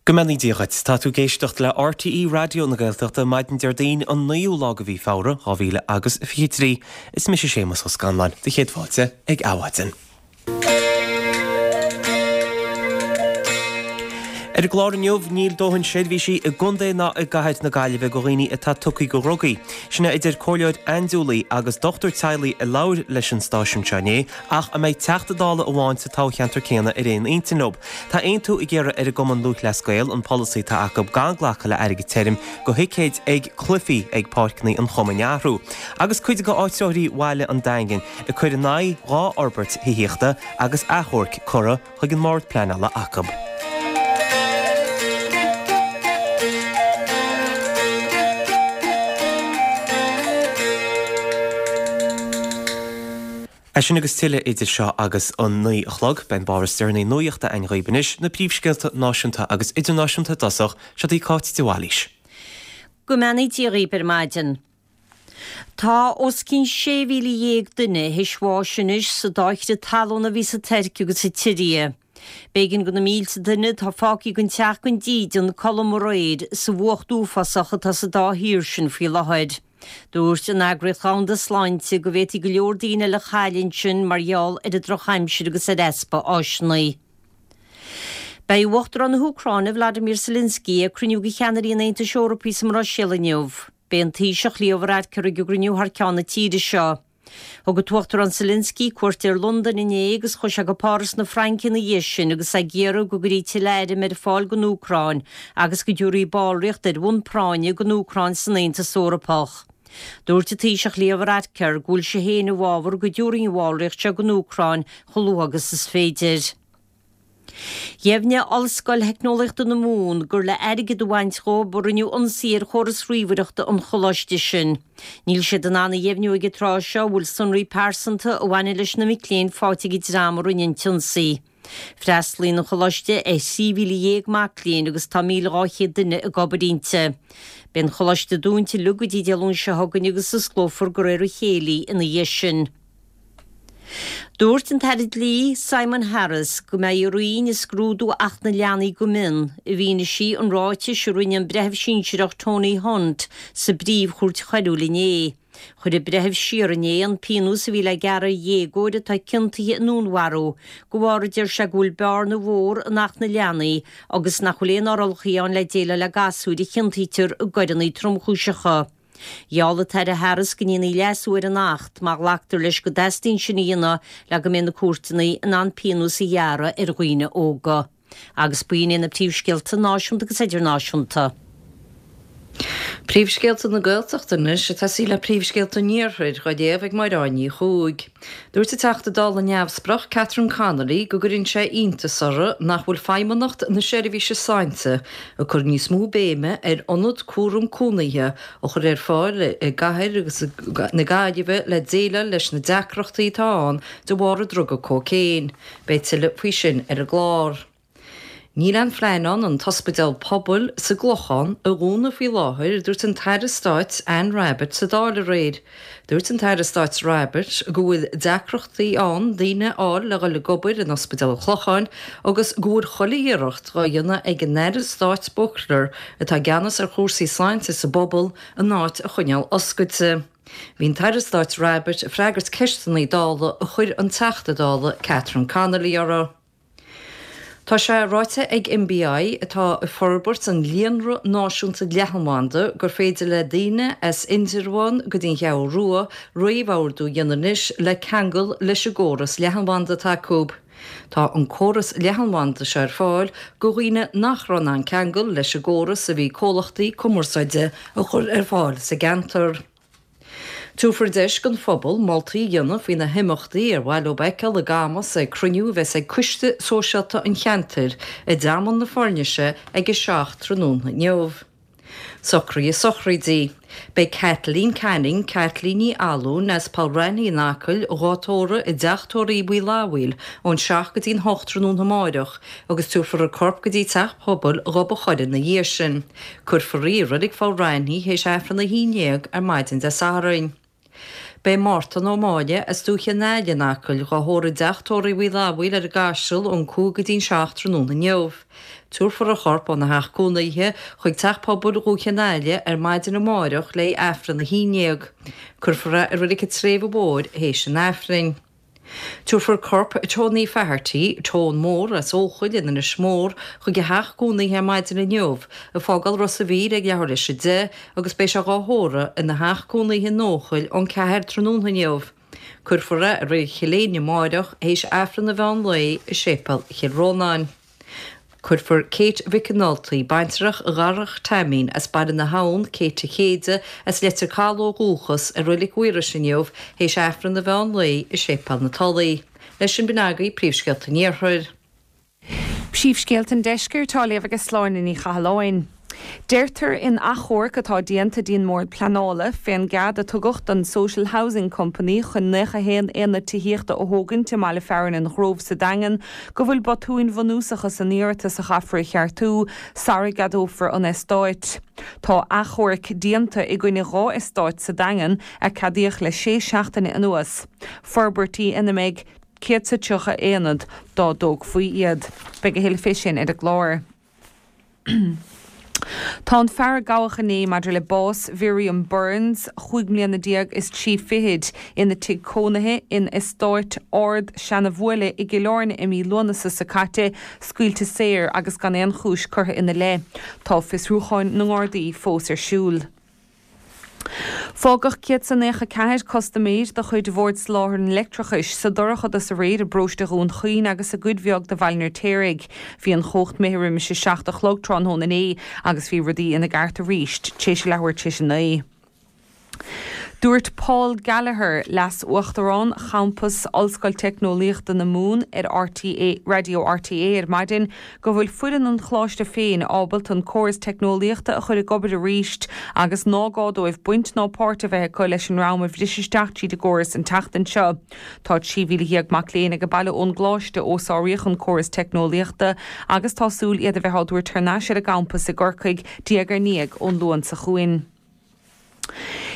Go mbeannaí Dia dhuit. Tá tú ag éisteacht le RTÉ Raidió na Gaeltachta maidin Déardaoin an 9ú lá de mhí Feabhra, 2000 agus 23. Is mise Séamus Ó Scanláin, do chéad fáilte ag Adhmhaidin. Ar an gclár inniu, níl dóthain seirbhísí i gcontae ná i gcathair na Gaillimhe do dhaoine atá tugtha do dhrugaí. Sin é a deir comhairleoir andúiligh agus dochtúir teaghlaigh a labhair leis an stáisiún seo inné, ach a mbeidh Teachta Dála amháin sa toghcheantar céanna ar aon intinn leo. Tá aontú ag iarraidh ar an gCumann Lúthchleas Gael an polasaí atá acu gan glacadh le airgead tirim do thicéid ag cluichí ag páirceanna an chumainn a athrú. Agus cuid de áitritheoirí bhaile an Daingin ag cur in aghaidh 2 fhorbairt thithíochta agus achomhairc curtha chuig an mBord Pleanála acu. É sin agus tuilleadh idir seo agus an 9 a chlog. Beidh an báire is deireanaí nuachta againn dhaoibh anois, na príomhscéalta náisiúnta agus idirnáisiúnta i dtosach, seo í Cáit de Bhailís. Go mbeannaí Dia dhaoibh ar maidin. Tá os cionn 16,000 duine théis bháis anois sa dá chrith talún a bhí sa Tuirc agus sa tSiria. B'éigean do na mílte duine atá fágtha gan teach gan dídean codladh aréir sa bhfuacht uafásach atá sa dá thír sin faoi láthair. Dúirt an Eagraíocht Dhomhanda Sláinte go bhféadfaí go leor daoine eile a chailleadh ansin mar gheall ar an drochaimsir agus ar easpa áiseanna. Beidh Uachtarán na hÚcráine, Vladimir Zelensky, ag cruinniú de cheannairí an Aontais Eorpaigh sa mBruiséil inniu. B'é an Taoiseach Leo Varadkar ag an gcruinniú thar ceann na tíre seo. Thug an tUachtarán Zelensky cuairt ar Londain inné agus chuaigh sé go Páras na Fraince ina dhiaidh sin agus é ag iarraidh go gcuirfí tuilleadh airm ar fáil don Úcráin agus go dtabharfaí ballraíocht ar bhonn práinne don Úcráin san Aontas Eorpach. Dúirt an Taoiseach Leo Varadkar go bhfuil sé féin i bhfabhar go dtabharfaí an bhallraíocht seo don Úcráin chomh luath agus is féidir. Dheimhnigh Ollscoil Theicneolaíochta na Mumhan gur le airgead a bhaint dhóibh a rinneadh ionsaí ar chóras ríomhaireachta an choláiste sin. Níl siad in ann a dheimhniú ag an tráth seo an bhfuil sonraí pearsanta a bhaineann leis na mic léinn faighte ag an dream a rinne an t-ionsaí. Freastalaíonn an choláiste ar 13,000 mac léinn agus tá 1,200 duine ag obair inti. Beidh an choláiste dúnta uilig go dtí Dé Luain seo chugainn agus osclófar de réir a chéile ina dhiaidh sin. Dúirt an tAire Dlí, Simon Harris, go mbeidh a Roinn ag scrúdú Acht na Leanaí go mion i bhfianaise an ráitis a rinne an Breitheamh Sinsearach Tony Hunt sa bPríomh-Chúirt Choiriúil inné. Chuir an Breitheamh siar inné an pionós a bhí le gearradh ar dhéagóir atá ciontaithe i ndúnmharú de bharr a deir sé go bhfuil bearna mhór in Acht na Leanaí agus nach bhfuil aon fhorálacha ann le déileáil le gasúir a chiontaítear i gcoireanna tromchúiseacha. Gheall an tAire Harris go ndéanfaí leasú ar an Acht má ghlactar leis go dteastaíonn sin a dhéanamh le go mbeidh na cúirteanna in ann pionós a ghearradh ar dhaoine óga. Agus b'in iad na príomhscéalta náisiúnta agus idirnáisiúnta. Príomhscéalta na Gaeltachta anois, ag tosaí le príomhscéalta an Iarthair, á léamh ag Máire Áine Ní Chuaig. Dúirt an Teachta Dála neamhspleách Catherine Connolly go gcuireann sé iontas uirthi nach bhfuil Feidhmeannacht na Seirbhíse Sláinte ag cur níos mó béime ar ionad cúram cónaithe a chur ar fáil i gcathair na Gaillimhe le déileáil leis na deacrachtaí atá ann de bharr an druga cócaon. Beidh tuilleadh faoi sin ar an gclár. Níl aon phlean ann an t-ospidéal pobail sa gClochán a dhúnadh faoi láthair, a dúirt an tAire Stáit Anne Rabbitte sa Dáil aréir. Dúirt an tAire Stáit Rabbitte go bhfuil deacrachtaí ann daoine a fháil le dhul ag obair in Ospidéal an Chlocháin agus go bhfuil chuile iarracht dhá dhéanamh ag an Aire Stáit Buckler, atá i gceannas ar chúrsaí sláinte sa bpobal, an áit a choinneáil oscailte. Bhí an tAire Stáit Rabbitte ag freagairt ceisteanna Dála a chuir an Teachta Dála Catherine Connolly orthu. Tá sé ráite ag MBI, atá ag forbairt an líonra náisiúnta leathanbhanda, gur féidir le daoine as Indreabhán go dtí an Cheathrú Rua réamhordú a dhéanamh anois le ceangal leis an gcóras leathanbhanda atá acu. Tá an córas leathanbhanda seo ar fáil do dhaoine nach raibh in ann ceangal leis an gcóras a bhí comhlachtaí cumarsáide a chur ar fáil sa gceantar. Tabharfar deis don phobal moltaí a dhéanamh faoi na himeachtaí ar mhaith leo a fheiceáil i gCamas ag cruinniú a bheas ag Coiste Sóisialta an cheantair i dTearmann na Foirnise ag a 7 tráthnóna inniu. Socruithe sochraide. Beidh Kathleen Canning, Caitlín Ní Fhallúin as Poll Raithní in Acaill, dhá tórramh i dTeach Tórraimh Uí Fhlathmhaoil ón 7 go dtí'n 8 tráthnóna amáireach agus tabharfar a corp go dtí Teach Pobail Ghob a' Choire ina dhiaidh sin. Cuirfear í i Reilig Pholl Raithní théis Aifreann 11 ar maidin Dé Sathairn. Beidh Mártan Ó Máille as Dúiche an Aille in Acaill dhá thórramh i dteach tórraimh Uí Fhlathbhaoil ar an gCaiseal ón 5 go dtí'n 7 tráthnóna inniu. Tabharfar a chorp óna theach cónaithe chuig Teach Pobail Dhúiche an Aille ar maidin amáireach le haghaidh Aifreann a 11. Cuirfear é i Reilig an tSléibhe Mhóir théis an Aifrinn. Tabharfar corp Tony Faherty, Tone Mór as Eochaill in Inis Mór, chuig a theach cónaithe ar maidin inniu, ag fágáil Ros a' Mhíl ag leathuair leis 10 agus beidh sé dhá thórramh ina theach cónaithe in Eochaill ón 4 tráthnóna inniu. Cuirfear é i Reilig Chill Éinne amáireach théis Aifreann an mheán lae i Séipéal Chill Rónáin. Cuirfear Kate Mhic an Nultaigh, baintreach Dharach Taimín as Baile na hAbhann, Kate a Chéide, as Leitir Caladh ó dhúchas, i Reilig Mhaorais inniu théis Aifreann an mheán lae i Séipéal na Tulaí. Leis sin b'in agaibh príomhscéalta an Iarthair. Príomhscéalta an Deiscirt á léamh ag Sláine Ní Chathalláin. Deirtear in achomharc atá déanta dtí'n mBord Pleanála fén gcead a tugadh don Social Housing Company chun 91 aonad tithíochta a thógaint i mbaile fearainn an Ghrove sa Daingean go bhfuil botúin bhunúsacha san iarratas a chaithfear a cheartú sara gceadófar an eastáit. Tá achomhairc déanta i gcoinne 2 eastáit sa Daingean a ceadaíodh le sé seachtaine anuas, forbairtí ina mbeidh 130 aonad dá dtógfaí iad. Beidh a thuilleadh fé sin ar an gclár. Tá an fear a gabhadh inné maidir le bás Mhiriam Burns, chúig mbliana déag is trí fichid, ina tigh cónaithe in Eastáit Ard Seanabhuaile i gCill Airne i mí Lúnasa seo caite, scaoilte saor agus gan aon chúis curtha ina leith. Tá fiosrúcháin na nGardaí fós ar siúl. Fágadh 194 custaiméir de chuid Bhord Soláthair an Leictreachais sa dorchadas aréir i bparóiste Dhún Chaoin agus i gcuid bheag de Bhaile an Fheirtéaraigh. Bhí an chumhacht imithe roimis a 7 a chlog tráthnóna inné agus bhí rudaí ina gceart arís tar éis a leathuair tar éis a 9. Dúirt Paul Gallagher, Leas-Uachtarán Champas Ollscoil Teicneolaíochta na Mumhan ar RTÉ Raidió RTÉ ar maidin go bhfuil foireann an choláiste féin ábalta an córas teicneolaíochta a chur ag obair arís agus ná gá dóibh baint ná páirt a bheith acu leis an ndream a bhris isteach tríd an gcóras an tseachtain seo. Tá 13,000 mac léinn ag baile ón gcoláiste ó sáraíodh an córas teicneolaíochta agus tá súil iad a bheith á dtabhairt thar n-ais ar an gcampas i gCorcaigh diaidh ar ndiaidh ón Luan seo chugainn.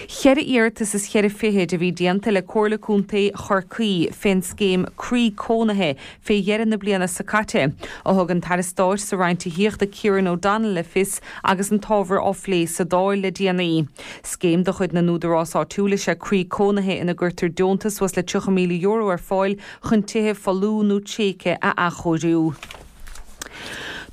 Cheithre iarratas is cheithre fichid a bhí déanta le Comhairle Contae Chorcaí fén scéim Croí Cónaithe fé dheireadh na bliana seo caite, a thug an tAire Stáit sa Roinn Tithíochta Kieran O'Donnell le fios agus an t-ábhar á phlé sa Dáil le déanaí. Scéim de chuid na n-údarás áitiúil is ea Croí Cónaithe ina gcuirtear deontas suas le €30,000 ar fáil chun tithe folmha nó tréigthe a athchóiriú.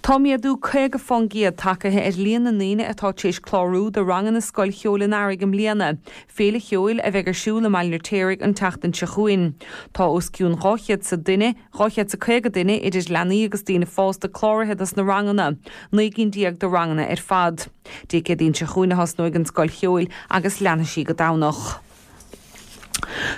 Tá méadú 50% tagtha ar líon na ndaoine atá tar éis clárú do ranganna Scoil Cheoil an Earraigh i mbliana, féile cheoil a bheidh ar siúl i mBaile an Fheirtéaraigh an tseachtain seo chugainn. Tá os cionn 200 sa duine, 250 duine, idir leanaí agus daoine fásta cláraithe dos na ranganna, 19 gcinn de ranganna ar fad. Dé Céadaoin seo chugainn a thosnóidh an Scoil Cheoil agus leanfaidh sí go Domhnach.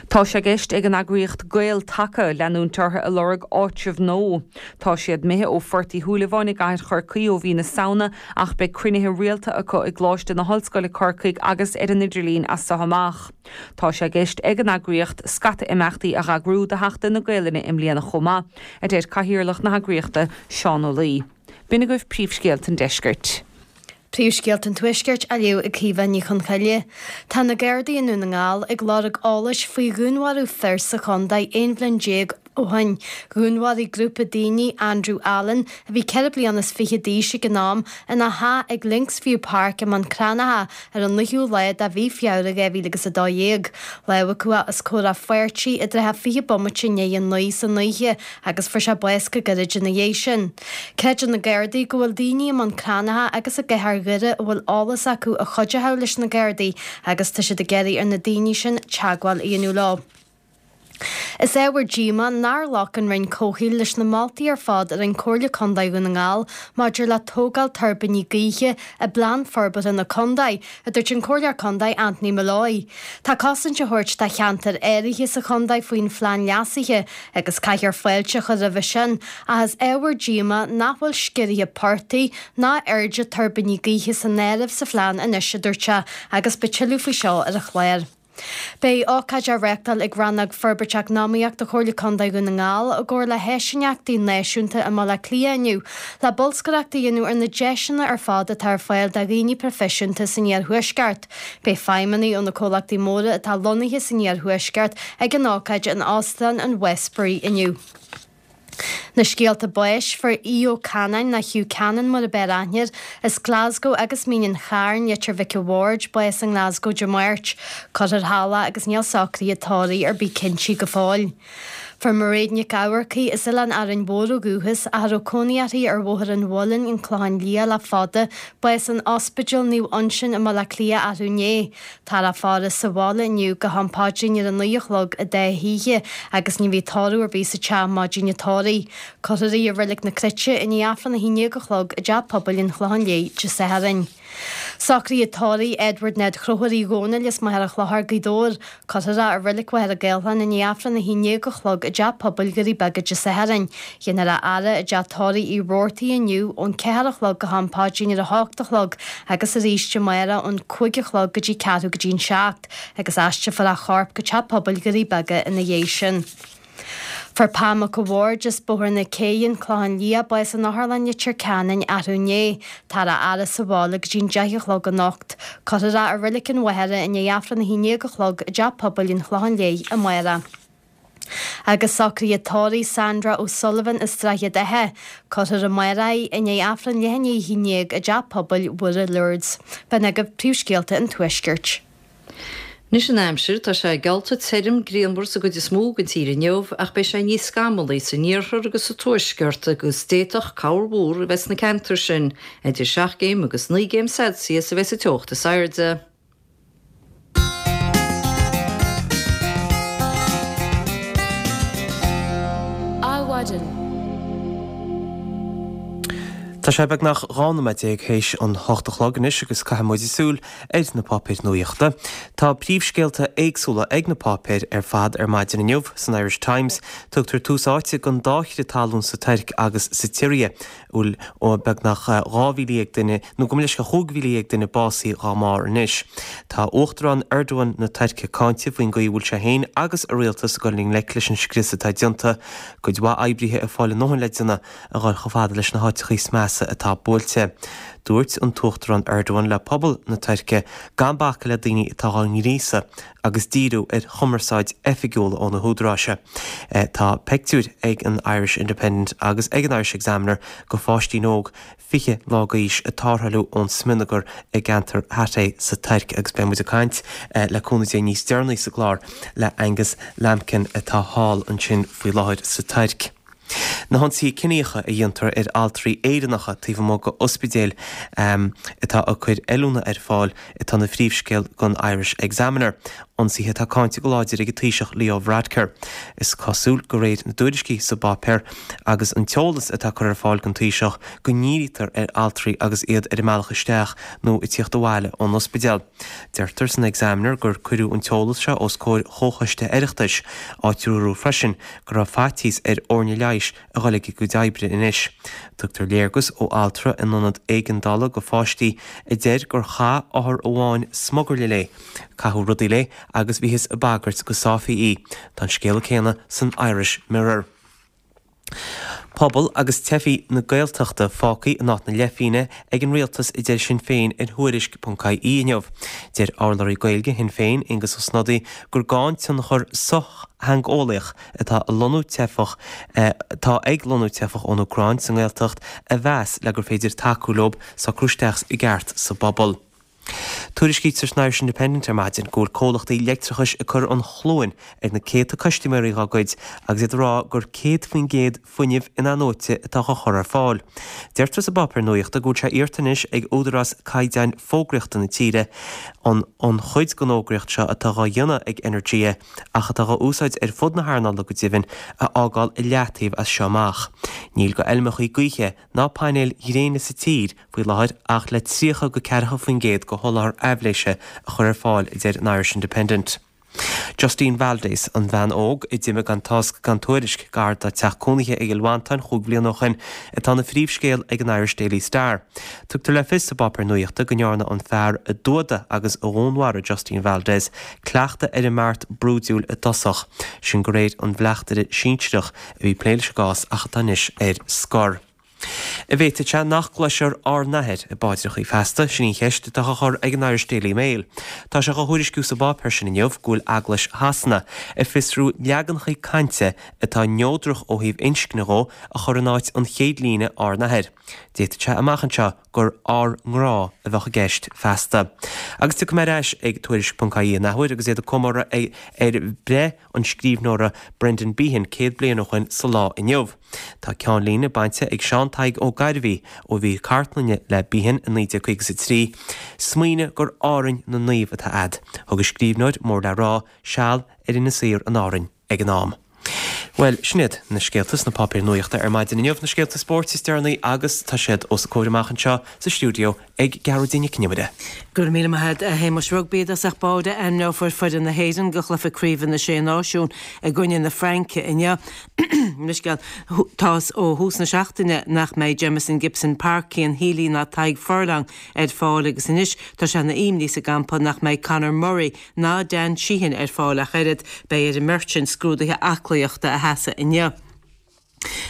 Tá sé i gceist ag an eagraíocht Gael Taca leanúint orthu ag lorg áitreabh nua. Tá siad imithe ó Phort Uí Shúilleabháin i gcathair Chorcaí ó mhí na Samhna ach beidh cruinnithe rialta acu i gColáiste na hOllscoile Corcaigh agus ar an idirlíon as so amach. Tá sé i gceist ag an eagraíocht scata imeachtaí a dh'eagrú do Sheachtain na Gaelainne i mbliana chomh maith, a deir Cathaoirleach na heagraíochta, Seán Ó Laoi. B'in agaibh príomhscéalta an deiscirt. Príomhscéalta an Tuaiscirt á léamh ag Caoimhe Ní Chonchoille. Tá na Gardaí i nDún na nGall ag lorg eolais faoi dhúnmharú fir sa chontae 11 bhliain ó shin. Dhúnmharaigh grúpa daoine Andrew Allen, a bhí 24 bliana d'aois ag an am, ina theach ag Links View Park i mBun Cranncha ar an 9ú lá de mhí Feabhra 2012. Lámhachadh é os comhair a pháirtí i dtrátha 20 bomaite i ndiaidh a 9 san oíche agus fuair sé bás go gairid ina dhiaidh sin. Creideann na Gardaí go bhfuil daoine i mBun Cranncha agus i gcathair Dhoire a bhfuil eolas acu a chuideochadh leis na Gardaí agus tá siad ag iarraidh ar na daoine sin teagmháil a dhéanamh leo. Is ábhar díomá nár ghlac an Roinn Comhshaoil leis na moltaí ar fad a rinne Comhairle Contae Dhún na nGall maidir le tógáil tuirbíní gaoithe i bPlean Forbartha na Contae, a dúirt an Comhairleoir Contae Anthony Molloy. Tá cosaint á thabhairt do cheantair áirithe sa chontae faoin phlean leasaithe agus caithfear fáilte a chur roimhe sin, ach is ábhar díomá nach bhfuil sciorruithe portaigh ná airde tuirbíní gaoithe san áireamh sa phlean anois, a dúirt sé, agus beidh tuilleadh faoi seo ar an chlár. Beidh ócáid á reáchtáil ag Rannóg Forbairt Eacnamaíochta Chomhairle Contae Dhún na nGall i gcomhar le hÁisíneachtaí Náisiúnta i mBaile Átha Cliath inniu le bolscaireacht a dhéanamh ar na deiseanna ar fad atá ar fáil do dhaoine proifisiúnta san iarthuaisceart. Beidh feidhmeannaigh ó na comhlachtaí móra atá lonnaithe san iarthuaisceart ag an ócáid in Óstán an Westbury inniu. Na scéalta báis, fuair Aodh Ó Canáin, nó Hugh Cannon mar ab fhearr aithne air, as Glasgow agus Mín an Chairn, Leitir Mhic a' Bhaird, bás i nGlasgow Dé Máirt. Cuirfear thall é agus níl socruithe tórraimh ar bith cinntí go fóill. Fuair Mairéad Nic Eamharcaigh, as Oileán Árainn Mhór ó dhúchas, ach a raibh cónaí uirthi ar Bhóthar an Mhuilinn, An Clochán Liath le fada, bás in Ospidéal Naomh Uinseann i mBaile Átha Cliath arú inné. Táthar á faire sa bhaile inniu go ham paidrín ar a 9 a chlog i dá hoíche agus ní bheidh tórramh ar bith sa teach maidin an tórraimh. Cuirfear í i Reilig na Cruite i ndiaidh Aifreann 11 a chlog i dTeach Pobail an Chlocháin Léith Dé Sathairn. Socruithe tórraimh Edward Ned Chrothúir Uí Dhónaill as Machaire Chlochair, Gaoth Dobhair. Cuirfear é i Reilig Mhachaire Gathlán i ndiaidh Aifreann 11 a chlog i dTeach Pobail Dhoirí Beaga Dé Sathairn. Déanfar a fhaire i dTeach Tórraimh Uí Robhartaigh inniu ón 4 a chlog go ham paidrín ar a hocht a chlog agus arís amárach ón 5 a chlog go dtí ceathrú go dtí an seacht agus aistrefar a chorp go Teach Pobail Dhoirí Beaga ina dhiaidh sin. Fuair Pam Mac a' Bhaird as Bóthar na Céidhe, An Clochán Liath, bás in Otharlann Leitir Ceanainn arú inné. Táthar á fhaire sa bhaile go dtí'n 10 a chlog anocht. Cuirfear é i Reilig an Mhachaire i ndiaidh Aifreann 11 a chlog i dTeach Pobail an Chlocháin Léith amárach. Agus socruithe tórraimh Sandra O'Sullivan as Droichead Átha. Cuirfear amárach í i ndiaidh Aifreann leath i ndiaidh a haon dhéag i dTeach Pobail Mhuire Lourdes. B'in agaibh príomhscéalta an Tuaiscirt. Anois an aimsir, tá sé geallta tirim grianmhar sa gcuid is mó den tír inniu ach beidh sé níos scamallaí san iarthar agus sa tuaisceart agus d'fhéadfadh corrmhúr a bheith sna ceantair sin. Idir 7 gcéim agus 9 gcéim Celsius a bheidh sa teocht is airde. Adhmhaidin. Tá sé beagnach 12 nóiméad théis an hocht a chlog anois agus caithfidh muid súil ar na páipéir nuachta. Tá príomhscéalta éagsúla ag na páipéir ar fad ar maidin inniu. San Irish Times, tugtar tús áite don dá chrith talún sa Tuirc agus sa tSiria, a bhfuil beagnach 12,000 duine, nó gabh mo leithscéal, 15,000 duine básaithe dhá mbarr anois. Tá Uachtarán Erdogan na Tuirce cáinte faoin gcaoi a bhfuil sé féin agus a rialtas ag dul i ngleic leis an scrios atá déanta. Cuid mhaith oibrithe ag fáil a ndóthain le déanamh a dhul chomh fada leis na háiteachaí is measa atá buailte. Dúirt an tUachtarán Erdogan le pobal na Tuirce gan bacadh le daoine atá dhá ngríosadh agus díriú ar chumarsáid oifigiúil ó na húdaráis. Tá peictiúir ag an Irish Independent agus ag an Irish Examiner de pháistín óg 20 lá d'aois ag tarrtháil ón smionagar i gceantar Hatay sa Tuirc agus beidh muid ag caint le cúnamh Dé níos deireanaí sa gclár le Angus Lambkin atá thall ansin faoi láthair sa Tuirc. Na hionsaithe ciníocha a dhéantar ar altraí Éireannacha taobh amuigh d'ospidéil atá ag cur oiliúna ar fáil atá ina phríomhscéal don Irish Examiner. Ionsaithe atá cáinte go láidir ag an Taoiseach Leo Varadkar. Is cosúil, de réir na dtuairiscí sa bpáipéar agus an t-eolas atá curtha ar fáil don Taoiseach, go ndírítear ar altraí agus iad ar a mbealach isteach nó ag tíocht abhaile ón ospidéal. Deirtear san Examiner gur cuireadh an t-eolas seo os comhair chomhchoiste Oireachtais, áit a dúradh freisin go raibh faitíos ar fhoirne leighis a dhul ag a gcuid oibre anois. Tugtar léargas ó altra in ionad éigeandála do pháistí a deir gur chaith othar amháin smugairle léi, caitheadh rudaí léi agus bhíothas ag bagairt go sáifí í. Tá an scéala céanna san Irish Mirror. Pobal agus teifigh na Gaeltachta fágtha in áit na leithphingne ag an rialtas a deir Sinn Féin ar Thuairisc ponc ie inniu. Deir urlabhraí Gaeilge Shinn Féin, Aengus Ó Snodaigh, gur gá an tionchar sochtheangeolaíoch atá ag lonnú teifeach atá ag lonnú teifeach ón Úcráin sa nGaeltacht a mheas le gur féidir tacú leo socrú isteach i gceart sa bpobal. Tuairiscítear san Irish Independent ar maidin go bhfuil comhlachtaí leictreachais ag cur an chluain ar na céadta custaiméirí dá gcuid agus iad ag rá gur 100% fuinneamh in-athnuaite atá á chur ar fáil. Deirtear sa bpáipéar nuachta go bhfuil sé iarrta anois ag Údarás Caighdeáin Fógraíochta na tíre an an chuid den fhógraíocht seo atá dhá dhéanamh ag Energia ach atá dhá úsáid ar fud na hearnála go deimhin a fhágáil i leataobh as seo amach. Níl go fheilmeachaí gaoithe ná painéil ghréine sa tír faoi láthair ach le 30 go 40% de sholáthar aibhléise a chur ar fáil, a deir an Irish Independent. Justine Valdez, an bhean óg a d'imigh gan tásc gan tuairisc gar dá teach cónaithe i gCill Mhantáin chúig bhliana ó shin, atá ina phríomhscéal ag an Irish Daily Star. Tugtar le fios sa bpáipéar nuachta go ndearna an fear a d'fhuadaigh agus a dhúnmharaigh Justine Valdez cleachtadh ar an mbeart brúidiúil i dtosach, sin de réir an bhleachtaire sinsearach a bhí ag plé leis an gcás ach atá anois ar scor. An bhféadfadh sé nach gcloisfear Ár nAthair i bpaidreachaí feasta? Sin í an cheist atá á chur ag an Irish Daily Mail. Tá sé á thuairisciú sa bpáipéar sin inniu go bhfuil Eaglais Shasana ag fiosrú leaganachaí cainte atá neodrach ó thaobh inscne dhó a chur in áit an chéad líne Ár nAthair. D'fhéadfadh sé amach anseo gur Ár nGrá a bheadh i gceist feasta. Agus tiocfaidh mé ar ais ag Tuairisc.ie an athuair agus iad ag comóradh ar bhreith an scríbhneora Brendan Behan 100 bliain ó shoin sa lá inniu. Tá ceannlíne bainte ag Seán Tadhg Ó Gairbhí ó mhír cartlainne le Behan i 1953, Smaoinigh gur Árainn na Naomh atá a'd. Thug an scríbhneoir mór le rá seal ar Inis Oírr in Árainn ag an am. Bhuel, sin iad na scéalta sna páipéir nuachta ar maidin inniu, na scéalta spóirt is deireanaí agus tá siad os a comhair amach anseo sa stiúideo ag Gearóidín Nic Con Iomaire. Go raibh míle maith agat, a Shéamais. Rugbaí i dtosach báire, ainmneofar foireann na hÉireann do chluiche craoibhe na Sé Náisiún i gcoinne na Fraince inniu. Leithscéal, tá fhios ó thús na seachtaine nach mbeidh Jamison Gibson-Park, Cian Healy ná Tadhg Furlong ar fáil agus anois tá sé ina imní sa gcampa nach mbeidh Conor Murray ná Dan Sheehan ar fáil ach oiread. Beidh ar an mbeirt sin scrúduithe aclaíochta a sheasamh inniu.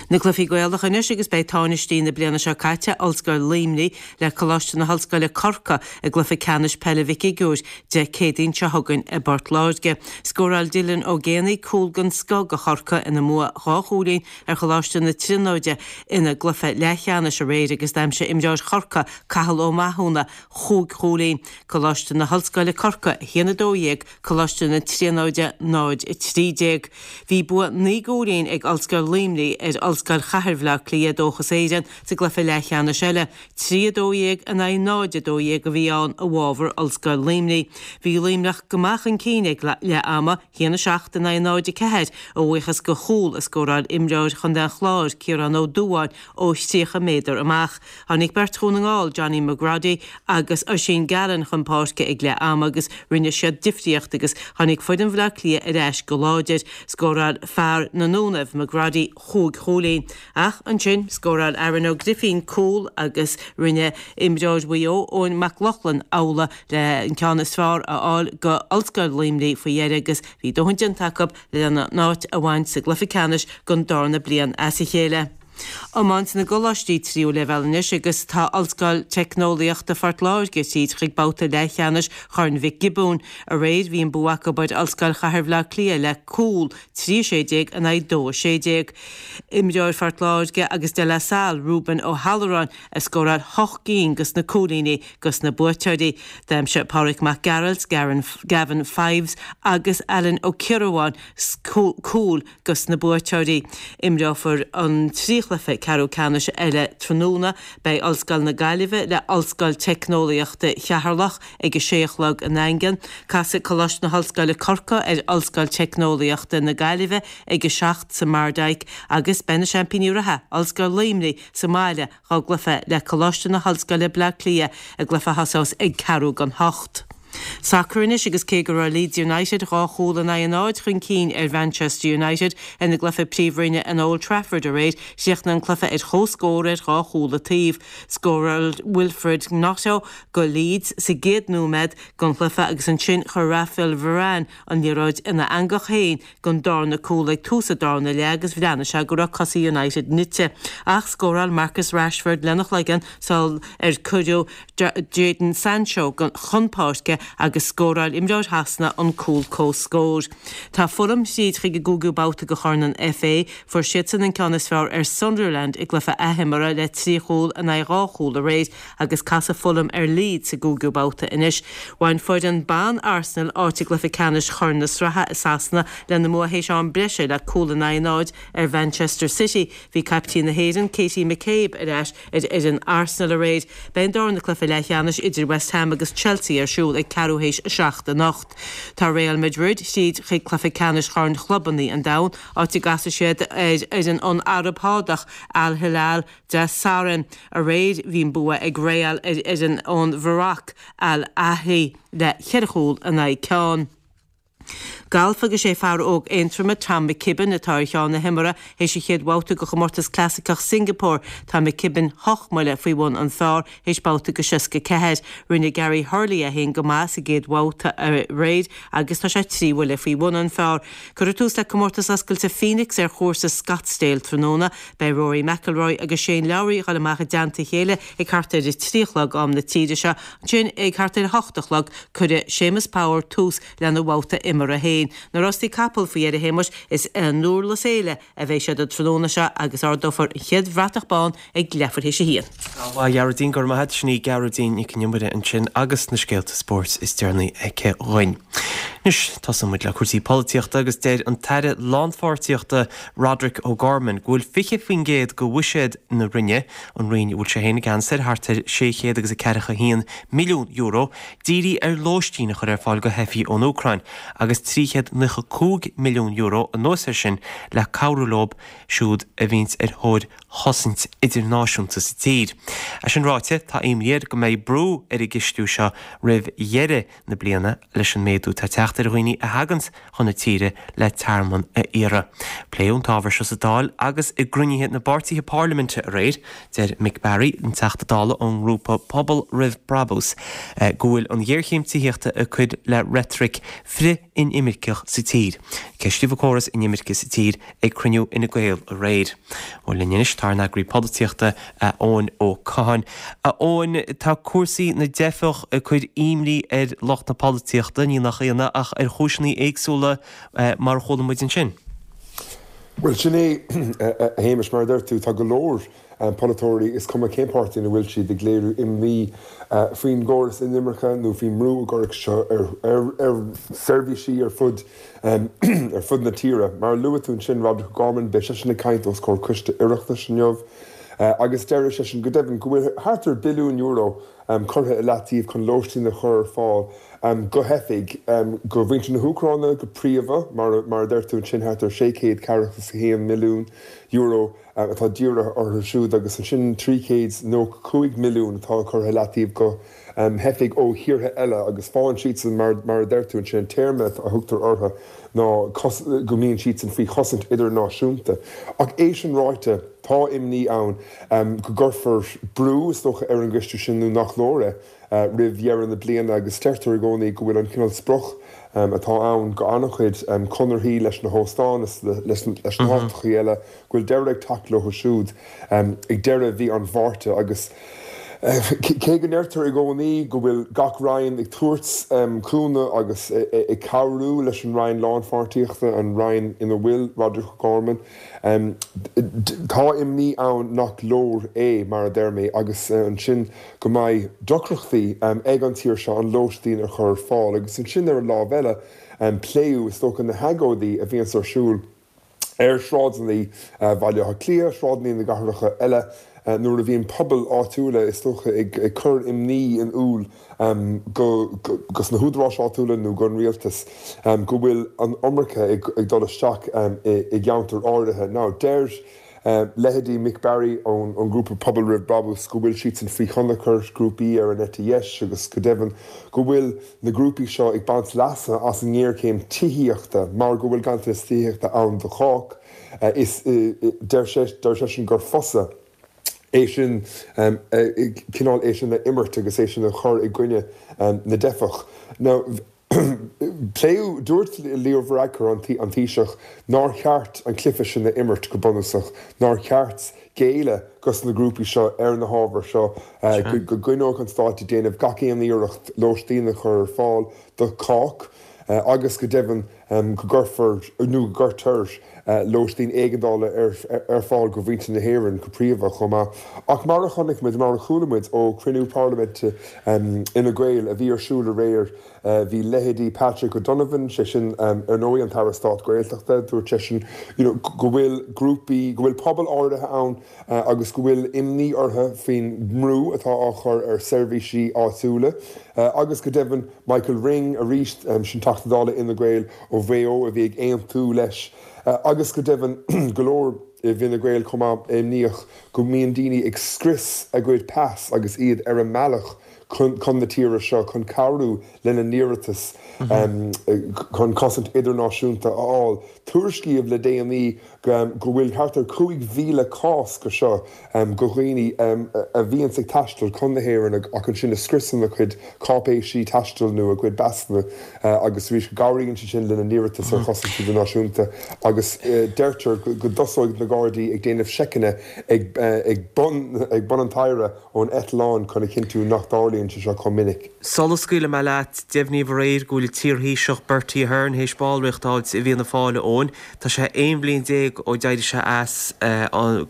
Na cluichí Gaelacha anois agus beidh táinistí na bliana seo caite, Ollscoil Luimnigh, le Coláiste na hOllscoile Corcaigh i gcluiche ceannais peile Mhic Shigiúir Dé Céadaoin seo chugainn i bPort Láirge. Scóráil Dylan Ó Géanaigh cúl den scoth do Chorcaigh ina mbua 2 chúilín ar Choláiste na Tríonóide ina gcluiche leathcheannais aréir agus d'aimsigh imreoir Chorcaí, Cathal Ó Mathúna, chúig chúilín. Coláiste na hOllscoile Corcaigh, 1, 12, Coláiste na Tríonóide, 0, 13. Bhí bua 9 gcúilín ag Ollscoil Luimnigh ar Ollscoil Chathair Bhaile Átha Cliath, Dóchas Éireann, sa gcluiche leathcheannais eile. 3, 12 in aghaidh 0, 12 a bhí ann i bhfabhar Ollscoil Luimnigh. Bhí Luimneach go maith chun cinn ag leath ama, 1, 7 in aghaidh 0, 4, a bhuíochas do chúl a scóráil imreoir Chontae an Chláir, Ciarán Ó Dúbháin, ó 30 méadar amach. Tháinig beirt Dhún na nGall, Johnny McGroddy agus Oisín Gallen chun páirce ag leath ama agus rinne siad difríocht agus tháinig foireann Bhaile Átha Cliath ar ais go láidir. Scóráil fear na nDúnaibh, McGroddy, chúig chúilín. Ach ansin, scóráil Aaron Ó Grifín cúl agus rinne imreoir Mhaigh Eo, Eoin Mac Lochlainn, amhlaidh le an ceann is fearr a fháil go Ollscoil Luimnigh faoi dheireadh agus bhí dóthain déanta acu lena n-áit a bhaint sa gcluiche ceannais don darna bliain as a chéile. Iomáint na gcoláistí tríú leibhéal anois agus tá Ollscoil Teicneolaíochta Phort Láirge tríd chuig babhta leathcheannais Chorn Mhic Giobúin. Aréir bhí an bua acu ar Ollscoil Chathair Bhaile Átha Cliath le cúl, 3 16 in aghaidh 2 16. Imreoir Phort Láirge agus De La Salle, Reuben Ó hAlluráin, a scóráil hocht gcinn dos na cúilíní dos na buaiteoirí. D'aimsigh Pádraic Mac Gearailt, Gavin Fives agus Alan Ó Ciardhubháin cúil dos na buaiteoirí. Imreofar an 3 chluiche ceathrú ceannais eile tráthnóna. Beidh Ollscoil na Gaillimhe le Ollscoil Teicneolaíochta Cheatharlach ag a sé a chlog i nDaingean. Casfaidh Coláiste na hOllscoile Corcaigh ar Ollscoil Teicneolaíochta na Gaillimhe ag a 7 sa Mardyke agus beidh na seaimpíní reatha, Ollscoil Luimnigh, sa mbaile dhá gcluiche le Coláiste na hOllscoile Bleá Cliath i gcluiche a thosós ag ceathrú don hocht. Sacar anois agus cé go raibh Leeds United 2 chúl in aghaidh a náid chun cinn ar Mhanchester United ina gcluiche Príomhroinne in Old Trafford aréir, chríochnaigh an cluiche ar comhscór ar 2 chúl an taobh. Scóráil Wilfried Gnonto go Leeds sa gcéad nóiméad den chluiche agus ansin chuir Raphael Varane an liathróid ina eangach féin don darna cúl ag tús an darna leath agus bhreathnaigh sé go raibh cosa United nite. Ach scóráil Marcus Rashford lena chloigeann sul ar cuireadh Jadon Sancho chun páirce agus scóráil imreoir Shasana an cúl comhscóir. Tá Fulham thríd chuig an gcúigiú babhta de Chorn an FA. Fuair siadsan an ceann is fearr ar Sunderland i gcluiche athimeartha le 3 chúl in aghaidh 2 chúl aréir agus casfaidh Fulham ar Leeds sa gcúigiú babhta anois. Bhain foireann ban Arsenal áit i gcluiche ceannais Chorn na Sraithe i Sasana lena mbua théis am breise le cúl in aghaidh 0 ar Mhanchester City. Bhí caiptín na hÉireann, Katie McCabe, ar ais ar fhoireann Arsenal aréir. Beidh an darna cluiche leathcheannais idir West Ham agus Chelsea ar siúl ag ceathrú théis a 7 anocht. Tá Real Madrid tríd chuig cluiche ceannais Chorn Chlubanna an Domhain, áit a gcasfaidh siad ar fhoireann ón Araib Shádach, Al Hilal. Dé Sathairn. Aréir bhí an bua ag Real ar fhoireann ón Mharoc, Al Ahly, le cheithre chúl in aghaidh ceann. Galf agus sé fear óg Aontroma, Tom McKibbin, atá ar cheann na himeartha théis an chéad bhabhta de chomórtas clasaiceach Singapore. Tá McKibbin hocht mbuille faoi bhun an phar théis babhta de 64. Rinne Gary Hurley é féin go maith sa gcéad bhabhta aréir agus tá sé 3 bhuille faoi bhun an phar. Cuirfear tús le Comórtas Oscailte Phoenix ar chúrsa Scottsdale tráthnóna. Beidh Rory McIlroy agus Shane Lowry ag dul amach i dteannta a chéile ag thart ar a 3 a chlog am na tíre seo. Ansin ag thart ar a 8 a chlog cuirfidh Séamus Power tús lena bhabhta imeartha féin. Na rástaí capall faoi dheireadh a Shéamuis, is i nDurlas Éile a bheidh siad an tráthnóna seo agus ardófar an chéad bhratach bán ag leathuair théis a haon. Ana mhaith, a Ghearóidín, go raibh maith agat. Sin í Gearóidín Nic an Iomaire ansin agus na scéalta spóirt is deireanaí aici dhuinn. Anois, tosóidh muid le cúrsaí polaitíochta agus deir an tAire Lánpháirtíochta Roderic O'Gorman go bhfuil 20% de bhuiséad na Roinne, an Roinn a bhfuil sé féin i gceannas air, thart ar €641 milliún, dírithe ar lóistín a chur ar fáil do theifigh ón Úcráin agus €395 milliún anuas air sin le cabhrú leo siúd a bhíonns ar thóir chosaint idirnáisiúnta sa tír. É sin ráite, tá imní air go mbeidh brú ar an gcistiú seo roimh dheireadh na bliana leis an méadú atá ag teacht ar dhaoine a thaganns chun na tíre le tearmann a iarraidh. Pléadh an t-ábhar seo sa Dáil agus i gcruinnithe na bpáirtithe parlaiminte aréir. Deir Mick Barry, an Teachta Dála ón ngrúpa Pobal Roimh Brabús, go bhfuil an ghéarchéim tithíochta ag cur le reitric frith-inimirceach sa tír. Ceistíodh an córas inimirce sa tír ag cruinniú Fhine Gael aréir. Bhuel linn anois tá ár n-eagraí polaitíochta, Eoin Ó Catháin. A Eoin, tá cúrsaí na dteifeach ag cur imní ar lucht na polaitíochta, ní nach ionadh, ach ar chúiseanna éagsúla mar a chuala muid ansin. Bhuel, sin é, a Shéamais, mar a deir tú, tá go leor polaiteoirí, is cuma cén páirtí ina bhfuil siad, ag léiriú imní faoin gcóras inimirce nó faoin mbrú a gcuirfidh seo ar seirbhísí ar fud ar fud na tíre. Mar a luaigh tú ansin, Roderic O'Gorman, beidh seisean ag caint os comhair coiste Oireachtais inniu agus deir seisean go deimhin go bhfuil thart ar billiún euro curtha i leataobh chun lóistín a chur ar fáil do theifigh, do mhuintir na hÚcráine go príomha, mar a deir tú ansin, thart ar €641 milliún atá dírithe orthu siúd agus ansin €395 milliún atá curtha i leataobh do theifigh ó thíortha eile agus faigheann siadsan, mar a deir tú ansin, an téarma a thugtar orthu ná go mbíonn siadsan faoi chosaint idirnáisiúnta. Ach é sin ráite, tá imní ann go gcuirfear brú, is dócha, ar an gcistiú sin nó nach leor é roimh dheireadh na bliana agus deirtear i gcónaí go bhfuil an cineál sprioc atá ann go an-chuid conarthaí leis na hóstáin is leis na háiteachaí eile, go bhfuil deireadh ag teacht leo siúd ag deireadh mhí an Mhárta agus cé go ndeirtear i gcónaí go bhfuil gach roinn ag tabhairt cúnamh agus ag cabhrú leis an Roinn Lánpháirtíochta, an roinn ina bhfuil Roderic O'Gorman, tá imní ann nach leor é, mar a deir mé, agus ansin go mbeidh deacrachtaí ag an tír seo an lóistín a chur ar fáil agus ansin ar an lámh eile pléadh, is dócha, na hagóidí a bhíonns ar siúl. ar shráideanna Bhaile Átha Cliath, sráideanna na gcathracha eile, nuair a bhíonn pobail áitiúla, is dócha, ag cur imní in iúl go sna húdaráis áitiúla nó don rialtas go bhfuil an iomarca ag dul isteach i gceantair áirithe. Now, deir leithéidí Mick Barry ón ngrúpa Pobal Roimh Brabús go bhfuil siadsan faoi thionchar grúpaí ar an eite dheis agus go deimhin go bhfuil na grúpaí seo ag baint leasa as an ngéarchéim tithíochta mar go bhfuil ganntanas tithíochta ann do chách. Is deir seisean gur fusa é sin, cineál é sin a imirt agus é sin a chur i gcoinne na dteifeach. Now, pléadh, dúirt Leo Varadkar, an Taoiseach, nár cheart an cluiche sin a imirt go bunúsach, nár cheart géilleadh dos na grúpaí seo ar na hábhair seo, go gcoinneodh an Stát ag déanamh gach aon iarracht lóistín a chur ar fáil do chách agus go deimhin go gcuirfear nó go gcuirtear lóistín éigeandála ar fáil do mhuintir na hÉireann go príomha chomh maith. Ach mar a chonaic muid, mar a chuala muid ó chruinniú parlaiminte Fhine Gael a bhí ar siúl aréir, Bhí leithéidí Patrick O'Donovan, sé sin ar ndóigh an tAire Stáit Gaeltachta, dúirt seisean you know go bhfuil grúpaí, go bhfuil pobail áirithe ann agus go bhfuil imní orthu faoin mbrú atá á chur ar seirbhísí áitiúla agus go deimhin Michael Ring arís, sin Teachta Dála Fhine Gael ó Mhaigh Eo a bhí ag aontú leis agus go deimhin go leor. i bhFine Gael chomh maith imníoch go mbíonn daoine ag scrios a gcuid pas agus iad ar a mbealach chun na tíre seo chun cabhrú lena n-iarratas chun cosaint idirnáisiúnta a fháil. Tuairiscíodh le déanaí go bhfuil thart ar 5,000 cás go seo go dhaoine a bhíonns ag taisteal chun na hÉireann ach ansin a scriosann a gcuid cáipéisí taistil nó a gcuid pasanna agus arís go gcabhraíonn sé sin lena n-iarratas ar chosaint idirnáisiúnta agus deirtear go dtosóidh na Gardaí ag déanamh seiceanna ag bun ag bun an tstaighre ón eitleán chun a chinntiú nach dtarlaíonn sé seo chomh minic. Sula scaoilfidh mé leat, deimhníodh aréir go bhfuil an t-iarThaoiseach Bertie Ahern théis ballraíocht a fháilt i bhFianna Fáil, a Eoin. Tá sé 11 bhliain ó d'éirigh sé as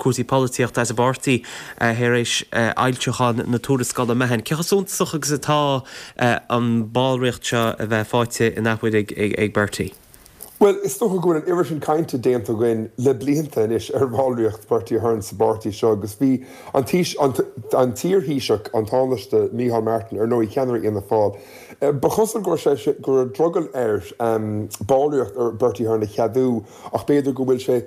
cúrsaí polaitíochta, as an bpáirtí, tar éis fhoilseachán na tuarascála Mahon. Cé chomh suntasach agus atá an ballraíocht seo a bheith faighte in athuair ag Bertie? Bhuel, is dócha go bhfuil an oiread sin cainte déanta againn le blianta anois ar bhallraíocht Bertie Ahern sa bpáirtí seo agus bhí an an t-iarThaoiseach, an Tánaiste Micheál Martin, ar ndóigh, ceannaire Fhianna Fáil, Ba chosúil go raibh sé, go raibh drogall air ballraíocht Bertie Ahern a cheadú ach b'fhéidir go bhfuil sé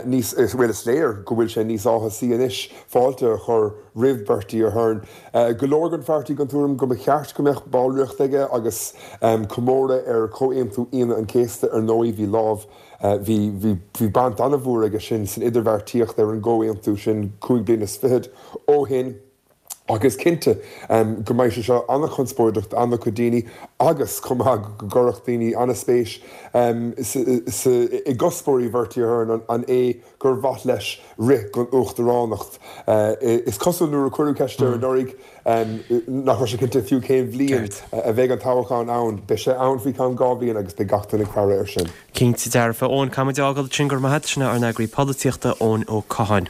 níos, bhuel is léir go bhfuil sé níos áthasaí anois fáilte a chur roimh Bertie Ahern. Go leor den pháirtí den tuairim go mba cheart go mbeadh ballraíocht aige agus comóradh ar Chomhaontú Aoine an Chéasta ar ndóigh bhí lámh, bhí, bhí, bhí baint an-mhór aige sin san idirbheartaíocht ar an gcomhaontú sin cúig bliana is fichead ó shin. Ach is cinnte go mbeidh sé seo an-chonspóideach d'an-chuid daoine agus chomh maith go gcuirfeadh daoine an-spéis i gcuspóirí Bhertie Ahern, an é gur mhaith leis rith don uachtaránacht? Is cosúil nuair a cuireadh ceist air anuraidh nach raibh sé cinnte fiú cén bhliain a bheidh an toghchán ann. Beidh sé ann faoi cheann 2 bhliain agus beidh gach duine ag faire air sin. Cinnte dearfa. Eoin, caithfimid a fhágáil ansin, go raibh maith agat. Sin é ár n-eagraí polaitíochta, Eoin Ó Catháin.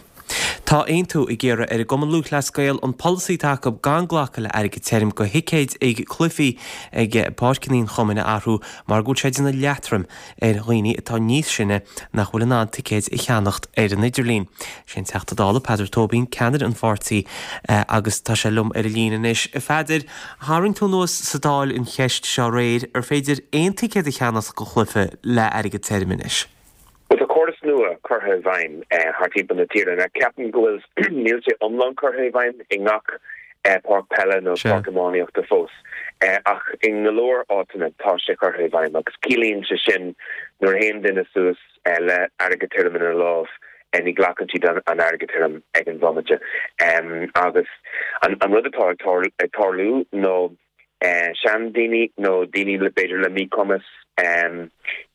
Tá Aontú ag iarraidh ar an gCumann Lúthchleas Gael an polasaí atá acu gan glacadh le airgead tirim do thicéid ag cluichí ag páirceanna an chumainn a athrú mar go bhfuil sé ag déanamh leatrom ar dhaoine atá níos sine nach bhfuil in ann ticéid a cheannacht ar an idirlíon. Sé an Teachta Dála Peadar Tóibín ceannaire an pháirtí agus tá sé liom ar an líne anois. A Pheadair, tharraing tú anuas sa Dáil an cheist seo aréir, ar féidir aon ticéad a cheannacht do chluiche le airgead tirim anois? Bhuel, tá córas nua curtha i bhfeidhm thart timpeall na tíre. Now, ceapaim go bhfuil, níl sé iomlán curtha i bhfeidhm i ngach páirc peile nó páirc iománaíochta fós, ach i go leor áiteanna tá sé curtha i bhfeidhm agus ciallaíonn sé sin nuair a théann duine suas le airgead tirim ina lámh, ní ghlacann siad an airgead tirim ag an bhomaite. Agus an rud atá ag tarlú nó seandaoine nó daoine le b'fhéidir le míchumas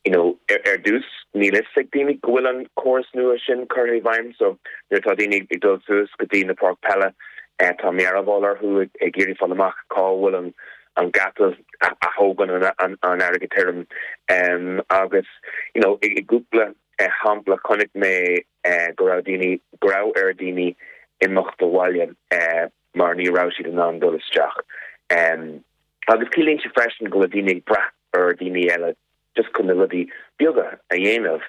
you know ar dtús níl fhios ag daoine go bhfuil an córas nua sin curtha i bhfeidhm so nuair atá daoine ag dul suas go dtí na páirc peile tá mearbhall orthu ag iarraidh fáil amach cá bhfuil an an geata a thógann an an airgead tirim agus you know i gcúpla shampla chonaic mé go raibh daoine go raibh ar daoine imeacht abhaile mar ní raibh siad in ann dul isteach. Agus ciallaíonn sé freisin go bhfuil daoine ag brath ar dhaoine eile just chun na rudaí beaga a dhéanamh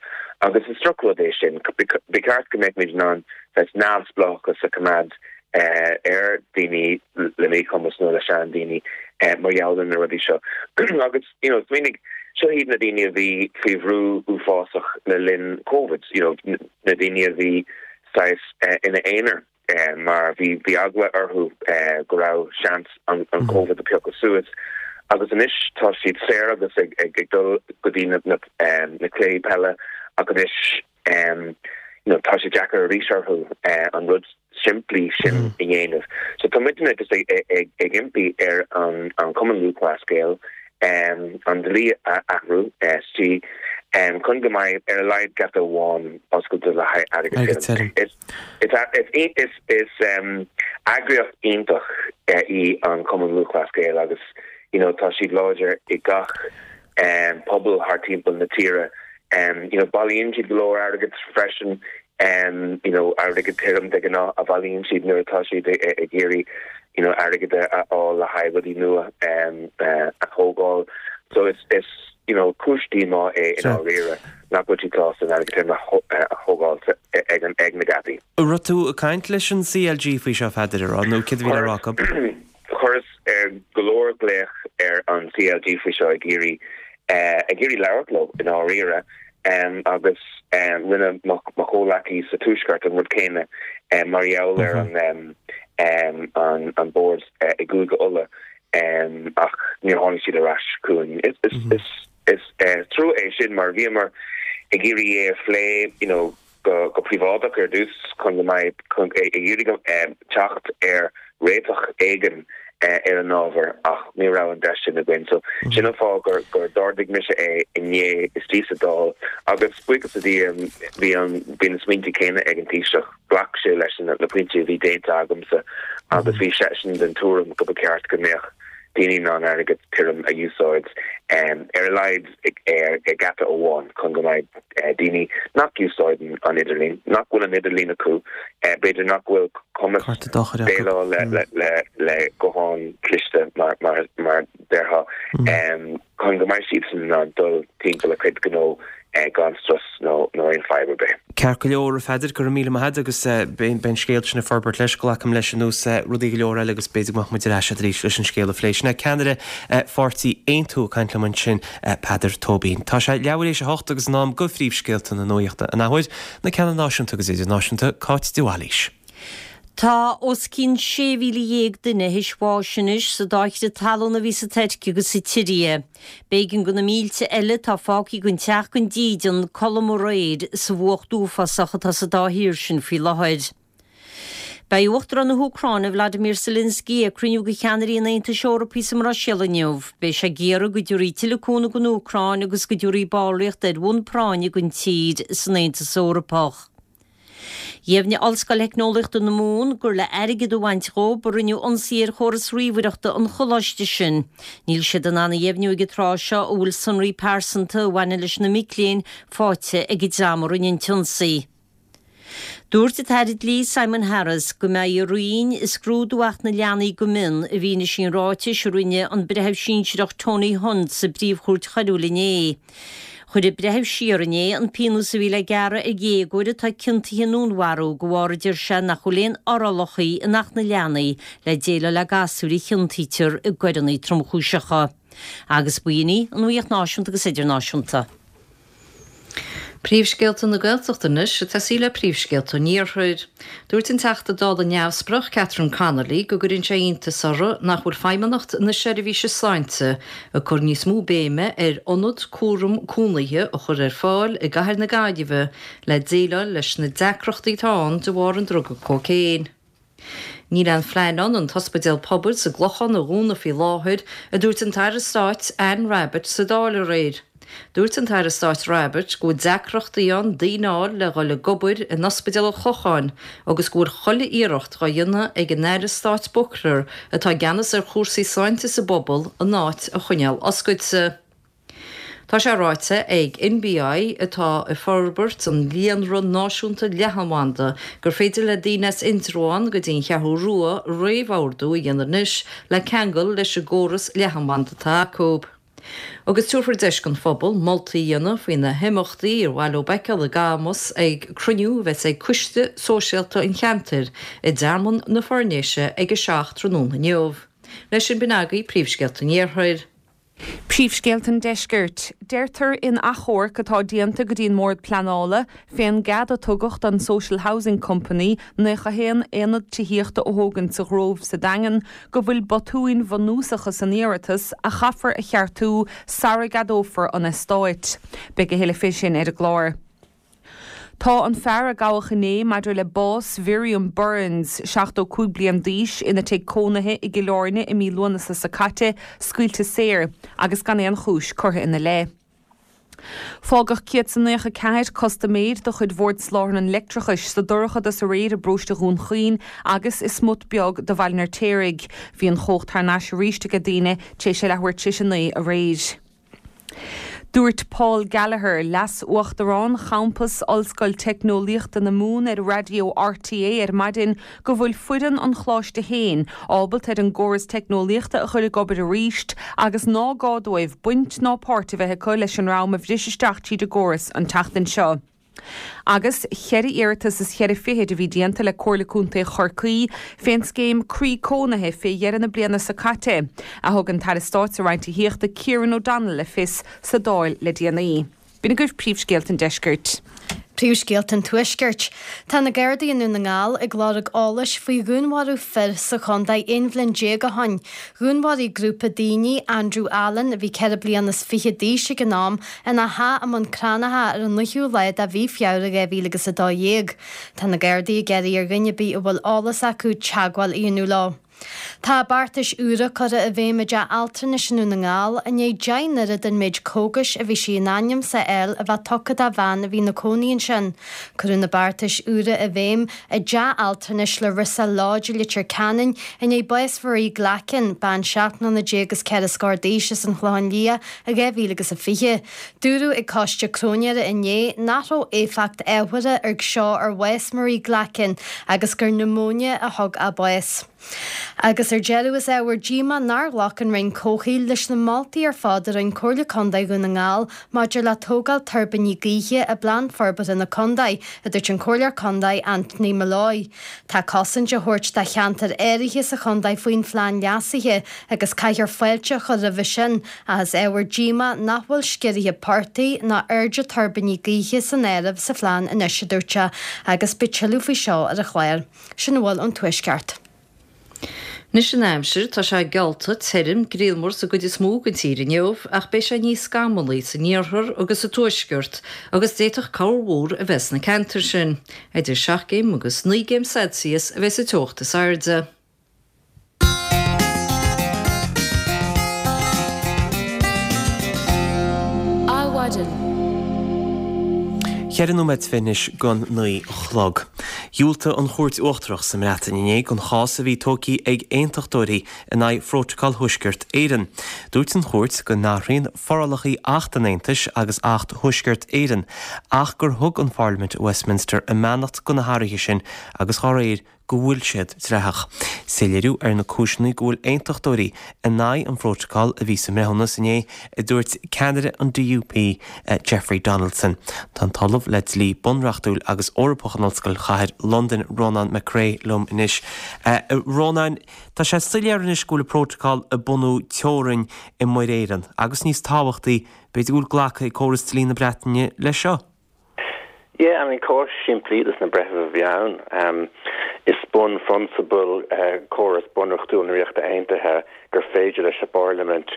agus is drochrud é sin. Ba cheart go mbeadh muid in ann saghas neamhspleáchas a choimeád ar daoine le míchumas nó le seandaoine mar gheall ar na rudaí seo. Agus, you know, smaoinigh, seo iad na daoine a bhí faoi bhrú uafásach le linn Covid, you know, na daoine a bhí saghas ina aonar. mar bhí bhí eagla orthu go raibh seans an an Covid a phiocadh suas agus anois tá siad saor agus ag ag ag dul go dtí na na na cluichí peile ach anois you know tá sé deacair arís orthu an rud simplí sin a dhéanamh. So tá muidne just ag ag ag impí ar an an Cumann Lúthchleas Gael an dlí a athrú SG chun go mbeidh ar a laghad geata amháin oscailte le haghaidh airgead tirim. Is Is eagraíocht iontach í an Cumann Lúthchleas Gael agus you know tá siad láidir i gach pobal thart timpeall na tíre. You know bailíonn siad go leor airgead freisin, you know airgead tirim de ghnáth a bhailíonn siad nuair atá siad ag iarraidh you know airgead a fháil le haghaidh rudaí nua a thógáil. So is is you know cúis díomá é i ndáiríre nach bhfuil siad sásta an airgead tirim a thógáil ag an ag na geataí. An raibh tú ag caint leis an CLG faoi seo, a Pheadair, an raibh, nó céard a bhí le rá acu? Chuireas go leor glaoch ar an CLG faoi seo ag iarraidh ag iarraidh labhairt leo i ndáiríre. Agus rinne mo chomhleacaí sa Tuaisceart an rud céanna mar gheall ar an bord i gCúige Uladh ach níor tháinig siad ar ais chugainn. Is trua é sin mar bhíomar ag iarraidh é a phlé you know go príobháideach ar dtús chun go mbeidh ag iarraidh teacht ar réiteach éigin ar an ábhar ach ní raibh an deis sin againn. So sin an fáth gur gur d'ardaigh mise é inné istigh sa Dáil agus buíochas le Dia bhí an bhí na smaointe céanna ag an Taoiseach. Ghlac sé leis na pointí a bhí déanta agamsa agus bhí seisean den tuairim go ba cheart go mbeadh daoine in ann airgead tirim a úsáid ar a laghad ar gheata amháin chun go mbeidh daoine nach úsáideann an idirlíon, nach bhfuil an idirlíon acu, b'fhéidir nach bhfuil cumas déileáil le guthán cliste mar mar déarfá, chun go mbeidh siadsan in ann dul timpeall a cuid gnó gan strus nó aon fadhb ar bith. Ceart go leor, a Pheadair, go raibh míle maith agat agus beidh an scéal sin ag forbairt leis, glacaim leis, ar nós rudaí go leor eile agus b'fhéidir go mbeadh muid ar ais agat arís leis an scéal a phlé. Sin é ceannaire pháirtí Aontú ag caint liom ansin, Peadar Tóibín. Tá sé leathuair éis a hocht agus in am go phríomhscéalta na nuachta an athuair, na ceanna náisiúnta agus idirnáisiúnta, Cáit de Bhailís. Tá os cionn 16,000 duine théis bháis anois sa dá chrith talún a bhí sa Tuirc agus sa tSiria. B'éigean do na mílte eile atá fágtha gan teach gan dídean codladh amuigh aréir sa bhfuacht uafásach atá sa dá thír sin faoi láthair. Beidh Uachtarán na hÚcráine Vladimir Zelensky ag cruinniú de cheannairí an Aontais Eorpaigh sa mBruiséil inniu. Beidh sé ag iarraidh go dtabharfaí tuilleadh cúnamh don Úcráin agus go dtabharfaí ballraíocht ar bhonn práinne don tír san Aontas Eorpach. Dheimhnigh Ollscoil Theicneolaíochta na Mumhan gur le airgead a bhaint dhóibh a rinneadh ionsaí ar chóras ríomhaireachta an choláiste sin. Níl siad in ann a dheimhniú ag an tráth seo an bhfuil sonraí pearsanta a bhaineann leis na mic léinn faighte ag an dream a rinne an t-ionsaí. Dúirt an tAire Dlí Simon Harris go mbeidh a Roinn ag scrúdú Acht na Leanaí go mion i bhfianaise an ráitis a rinne an Breitheamh Sinsearach Tony Hunt sa bPríomh-Chúirt Choiriúil inné. Chuir an breitheamh siar inné an pionós a bhí le gearradh ar dhéagóir atá ciontaithe i ndúnmharú de bharr a deir sé nach bhfuil aon fhorálacha in Acht na Leanaí le déileáil le gasúir a chiontaítear i gcoireanna tromchúiseacha. Agus b'in í an nuacht náisiúnta agus idirnáisiúnta. Príomhscéalta na Gaeltachta anois ag tosaí le príomhscéalta an Iarthair. Dúirt an Teachta Dála neamhspleách Catherine Connolly go gcuireann sé iontas uirthi nach bhfuil Feidhmeannacht na Seirbhíse Sláinte ag cur níos mó béime ar ionad cúram cónaithe a chur ar fáil i gcathair na Gaillimhe le déileáil leis na deacrachtaí atá ann de bharr an druga cócaon. Níl aon phlean ann an t-ospidéal pobail sa gClochán a dhúnadh faoi láthair, a dúirt an tAire Stáit Anne Rabbitte sa Dáil aréir. Dúirt an tAire Stáit Rabbitte go bhfuil deacrachtaí ann daoine a fháil le dhul ag obair in Ospidéal an Chlocháin agus go bhfuil chuile iarracht dhá dhéanamh ag an Aire Stáit Buckler atá i gceannas ar chúrsaí sláinte sa bpobal an áit a choinneáil oscailte. Tá sé ráite ag NBI, atá ag forbairt an líonra náisiúnta leathanbhanda, gur féidir le daoine as Indreabhán go dtí an Cheathrú Rua réamhordú a dhéanamh anois le ceangal leis an gcóras leathanbhanda atá acu. Agus tabharfar deis don phobal moltaí a dhéanamh faoi na himeachtaí ar mhaith leo a fheiceáil i gCamus ag cruinniú a bheas ag Coiste Sóisialta an cheantair i dTearmann na Foirnéise ag a 7 tráthnóna inniu. Leis sin b'in agaibh príomhscéalta an Iarthair. Príomhscéalta an Deiscirt. Deirtear in achomharc atá déanta go dtí an mBord Pleanála fén gcead a tugadh don Social Housing Company 91 aonad tithíochta a thógaint sa Ghrove sa Daingean go bhfuil botúin bhunúsacha san iarratas a chaithfear a cheartú sara gceadófar an eastáit. Beidh a thuilleadh fé sin ar an gclár. Tá an fear a gabhadh inné maidir le bás Mhiriam Burns, 75 bliain d'aois, ina tigh cónaithe i gCill Airne i mí Lúnasa seo caite, scaoilte saor agus gan aon chúis curtha ina leith. Fágadh 194 custaiméir de chuid Bhord Soláthair an Leictreachais sa dorchadas aréir i bparóiste Dhún Chaoin agus i smut beag de Bhaile an Fheirtéaraigh. Bhí an chumhacht thar n-ais arís aige daoine tar éis a leathuair tar éis a 9 aréir. Dúirt Paul Gallagher, Leas-Uachtarán Champas Ollscoil Teicneolaíochta na Mumhan ar raidió RTÉ ar maidin go bhfuil foireann an choláiste féin ábalta ar an gcóras teicneolaíochta a chur ag obair arís agus ná gá dóibh baint ná páirt a bheith acu leis an ndream a bhris isteach tríd an gcóras an tseachtain seo. Agus cheithre iarratas is cheithre fichid a bhí déanta le Comhairle Contae Chorcaí fén scéim Croí Cónaithe fé dheireadh na bliana seo caite, a thug an tAire Stáit sa Roinn Tithíochta Kieran O'Donnell le fios sa Dáil le déanaí. B'in agaibh príomhscéalta an deiscirt. Príomhscéalta an Tuaiscirt. Tá na Gardaí i nDún na nGall ag lorg eolais faoi dhúnmharú fir sa chontae 11 bhliain ó shin. Dhúnmharaigh grúpa daoine Andrew Allen, a bhí 24 bliana d'aois ag an am, ina theach i mBun Cranncha ar an 9ú lá de mhí Feabhra 2012. Tá na Gardaí ag iarraidh ar dhuine ar bith a bhfuil eolas acu teagmháil a dhéanamh leo. Tá beartais úra curtha i bhfeidhm i dteach altranais i nDún na nGall i ndiaidh 10 n-oiread an méid cógais a bhí sí in ainm 's a fháil a bheith tugtha do bhean a bhí ina cónaí ansin. Cuireadh na beartais úra i bhfeidhm i dteach altranais Larissa Lodge i Leitir Ceanainn i ndiaidh bás Mharie Glackin, bean 17 mbliana is 4 scór d'aois as an Chlochán Liath i 2020. Dúradh ag coiste cróinéara inné nach raibh éifeacht ábhartha ag seo ar bhás Marie Glackin agus gur niomóine a thug a bás. Agus ar deireadh is ábhar díomá nár ghlac an Roinn Comhshaoil leis na moltaí ar fad a rinne Comhairle Contae Dhún na nGall maidir le tógáil tuirbíní gaoithe i bPlean Forbartha na Contae, a dúirt an Comhairleoir Contae Anthony Molloy. Tá cosaint á thabhairt do cheantair áirithe sa chontae faoin phlean leasaithe agus caithfear fáilte a chur roimhe sin Ach is ábhar díomá nach bhfuil sciorruithe portaigh ná airde tuirbíní gaoithe san áireamh sa phlean anois, a dúirt sé, agus beidh tuilleadh faoi seo ar an chlár. Sin a bhfuil ón Tuaisceart. Anois an aimsir, tá sé geallta tirim, grianmhar sa gcuid is mó den tír inniu ach beidh sé níos scamallaí san iarthar agus sa tuaisceart agus d'fhéadfadh corrmhúr a bheith sna ceantair sin. Idir 7 gcéim agus 9 gcéim Celsius a bheidh sa teocht is airde. Adhmhaidin. Cheithre nóiméad anois don 9 a chlog. Dhiúltaigh an Chúirt Uachtarach sa mBreatain inné don chás a bhí tógtha ag aontachtóirí in aghaidh Phrótacal Thuaisceart Éireann. Dúirt an chúirt go n-athraíonn forálacha Acht an Aontais agus Acht Thuaisceart Éireann ach gur thug an Pharlaimint i Westminster a mbeannacht do na hathruithe sin agus dá réir go bhfuil siad dleathach. Soiléiriú ar na cúiseanna go bhfuil aontachtóirí in aghaidh an phrótacail a bhí sa mbreithiúnas inné, a dúirt ceannaire an DUP, Jeffrey Donaldson. Tá an tOllamh le Dlí Bunreachtúil agus Eorpach in Ollscoil Chathair Londain, Rónán Mac Craith, liom anois. A Rónáin, tá sé soiléir anois go bhfuil an prótacal ag bunú teorainn i Muir Éireann agus níos tábhachtaí, b'fhéidir go bhfuil glactha ag córas dlí na Breataine leis seo. Yeah, I mean cás simplí dos na breithimh a bhí ann. Is bunphrionsabal córas bunreachtúil na Ríochta Aontaithe gur féidir leis an bParlaimint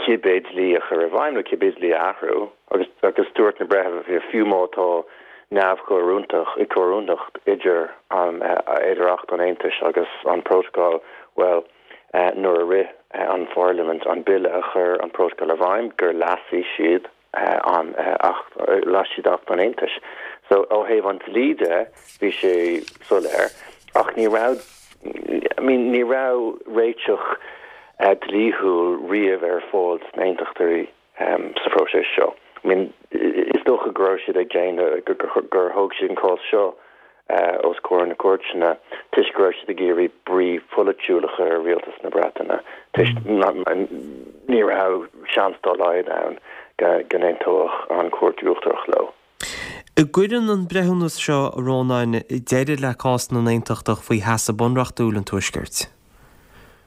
cibé dlí a chur i bhfeidhm nó cibé dlí a athrú agus agus dúirt na breithimh fiú má tá neamhchomhoiriúntacht comhoiriúnacht idir an idir Acht an Aontais agus an Prótacal, bhuel, nuair a rith an Pharlaimint an bille a chuir an Prótacal i bhfeidhm gur leasaigh siad an Acht, leasaigh siad Acht an Aontais. So, ó thaobh an dlí de, bhí sé soiléir, ach ní raibh, I mean, ní raibh réiteach dlíthiúil riamh ar fáil dos na hAontachtóirí sa phróiseas seo. I mean, is dócha go raibh siad ag déanamh, gur thóg siad an cás seo os comhair na cúirteanna toisc go raibh siad ag iarraidh brí pholaitiúil a chur ar rialtas na Breataine toisc ní raibh seans dá laghad ann go n-aontódh an Chúirt Uachtarach leo. An gcuireann an breithiúnas seo, a Rónáin, deireadh le cás na nAontachtach faoi sheasamh bunreachtúil an Tuaiscirt?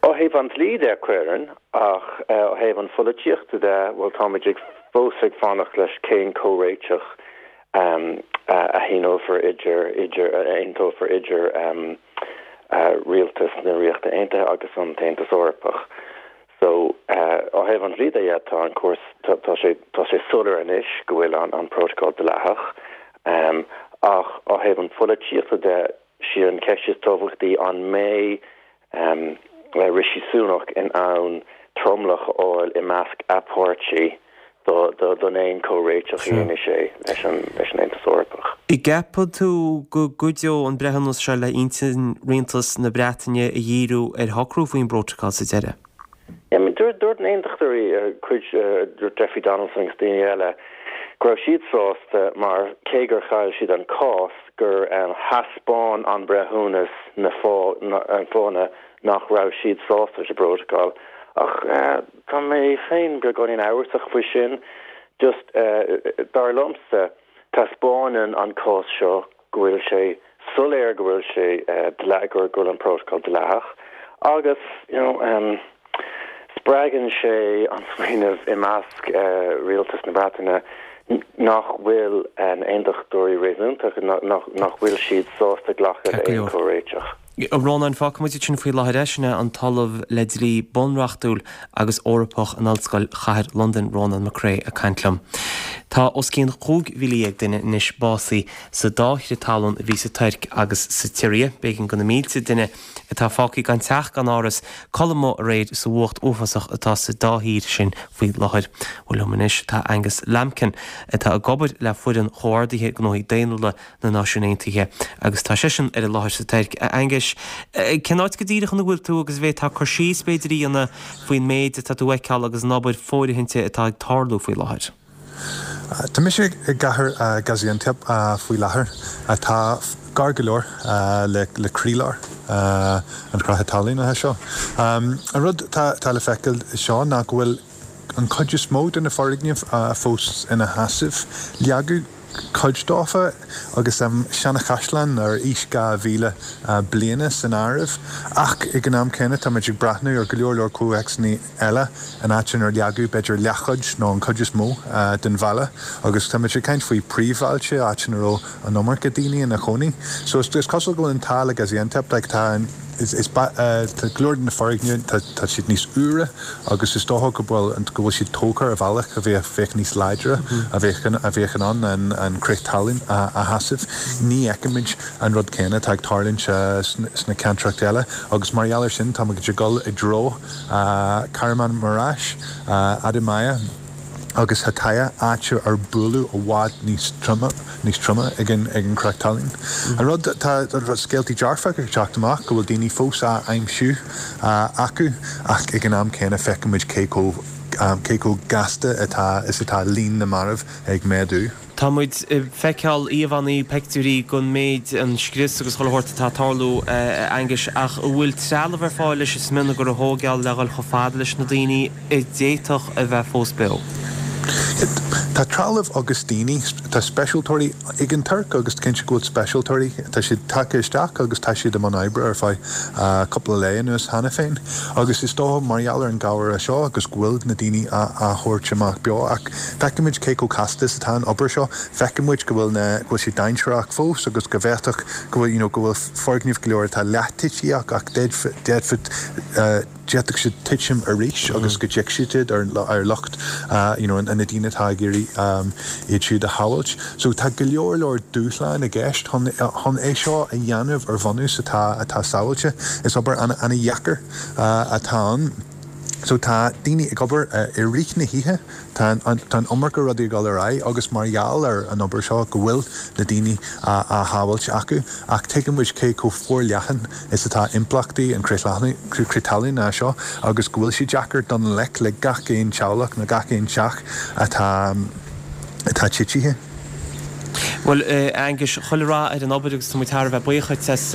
Ó thaobh an dlí de, cuireann, ach ó thaobh an pholaitíochta de, bhuel, táimid ag fós ag fanacht leis cén comhréiteach a shíneofar idir, idir, a aontófar idir rialtas na Ríochta Aontaithe agus an tAontas Eorpach. So, ó thaobh an dlí de, yeah, tá an cúrsa, tá sé, tá sé soiléir anois go bhfuil an prótacal dleathach, ach ó thaobh an pholaitíochta de, Sí an cheist is tábhachtaí an mbeidh Rishi Sunak in ann tromlach a fháil i measc a pháirtí don aon chomhréiteach a dhéanfaidh sé leis an Aontas Eorpach. An gceapann tú go gcuideoidh an breithiúnas seo le intinn rialtas na Breataine a dhíriú ar shocrú faoin bprótacal sa deireadh? Dúirt na hAontachtóirí, cuid, dúirt Jeffrey Donaldson agus daoine eile, go raibh siad sásta mar cé gur chaill siad an cás, gur thaispeáin an breithiúnas na fáthanna nach raibh siad sásta leis an bprótacal. Ach tá mé féin beagáinín amhrasach faoi sin. Just, dar liomsa, taispeánann an cás seo go bhfuil sé soiléir go bhfuil sé go bhfuil an prótacal dleathach agus you know spreagann sé an smaoineamh i measc rialtas na Breataine. Nach bhfuil na hAontachtóirí réasúntach, nach bhfuil siad sásta glacadh le aon chomhréiteach. A Rónáin, fágfaidh muid ansin faoi láthair é, sin é an tOllamh le Dlí Bunreachtúil agus Eorpach in Ollscoil Chathair Londain, Rónán McCrea ag caint liom. Tá os cionn 15,000 duine anois básaithe sa dá chrith talún a bhí sa Tuirc agus sa tSiria. B'éigean do na mílte duine atá fágtha gan teach gan áras codladh amuigh aréir sa bhfuacht uafásach atá sa dá thír sin faoi láthair. Bhuel liom anois tá Angus Lambkin atá ag obair le foireann chomhordaithe gnóthaí daonnúla na Náisiún Aontaithe agus tá seisean ar an láthair sa Tuirc. A Anguis, cén áit go díreach ina bhfuil tú agus an bhféadfá cur síos b'fhéidir a dhéanamh faoin méid atá tú a fheiceáil agus an obair fóirithinte atá ag tarlú faoi láthair? Tá mise i gcathair Gaziantep faoi láthair, atá gar go leor le croílár an chreatha talún seo. An rud atá le feiceáil seo ná go bhfuil an chuid is mó de na foirgnimh fós ina sheasamh. Leagadh cuid dófa, agus seana-chaisleán ar aois 2,000 bliana san áireamh. Ach ag an am céanna táimid ag breathnú ar go leor leor comhthéacsanna eile in áit inar leagadh b'fhéidir leathchuid nó an chuid is mó den bhalla agus táimid ag caint faoi príomhbhailte, áit ina raibh an iomarca daoine ina chónaí. So is cosúil go bhfuil an t-ádh le Gaziantep, like tá an, is, is, tá go leor de na foirgnimh, tá, tá siad níos úire agus is dócha go bhfuil, go bhfuil siad tógtha ar bhealach a bheadh, bheadh níos láidre, a bheadh, a bheadh in ann an, an crith talún a, a sheasamh. Ní fheicimid an rud céanna atá ag tarlúint sna ceantracha eile agus mar gheall ar sin táimid ag dul i dtreo Kahramanmaraş, Adamiyah agus Hatay, áit ar buaileadh i bhfad níos troime, níos troime ag an ag an gcreach talún. An rud, tá scéaltaí dearfacha ag teacht amach go bhfuil daoine fós á aimsiú acu ach ag an am céanna feicimid cé chomh cé chomh gasta atá is atá líon na marbh ag méadú. Tá muid ag feiceáil íomhánna, peictiúirí den méid, an scrios agus chuile shórt atá ag tarlú, a Aenguis, ach an bhfuil trealamh ar fáil leis an smionagar a thóigeáil le dhul chomh fada leis na daoine a d'fhéadfadh a bheith fós beo? Tá trealamh agus daoine, tá speisialtóirí ag an Tuirc agus cinnte go bhfuil speisialtóirí, tá siad tagtha isteach agus tá siad i mbun oibre ar feadh cúpla lae anuas cheana féin agus is dócha mar gheall ar an gcabhair seo agus go bhfuil na daoine á thabhairt amach beo ach Feicimid cé chomh casta is atá an obair seo. Feicimid go bhfuil na, go bhfuil sé dainséarach fós agus go bhféadfadh go bhfuil, you know, go bhfuil foirgnimh go leor atá leath-tití ach d'fhéadfadh, d'fhéadfadh siad titim arís agus go dtiocfaidh siad ar, ar lucht, you know, na daoine atá ag iarraidh iad siúd a shábháilt. So tá go leor leor dúshlán i gceist chun, chun é seo a dhéanamh ar bhunús atá, atá sábháilte. Is obair an-dheacair atá ann. So tá daoine ag obair i rith na hoíche, tá an iomarca rudaí ag dul ar aghaidh agus mar gheall ar an obair seo go bhfuil na daoine á shábháilt acu ach tuigeann muid cé chomh forleathan is atá impleachtaí an crith talún seo agus go bhfuil sé deacair dul i ngleic le gach aon teaghlach nó gach aon teach atá atá titithe. Bhuel, a Aenguis, chuile rath ar an obair agus tá muid thar a bheith buíoch dhuit as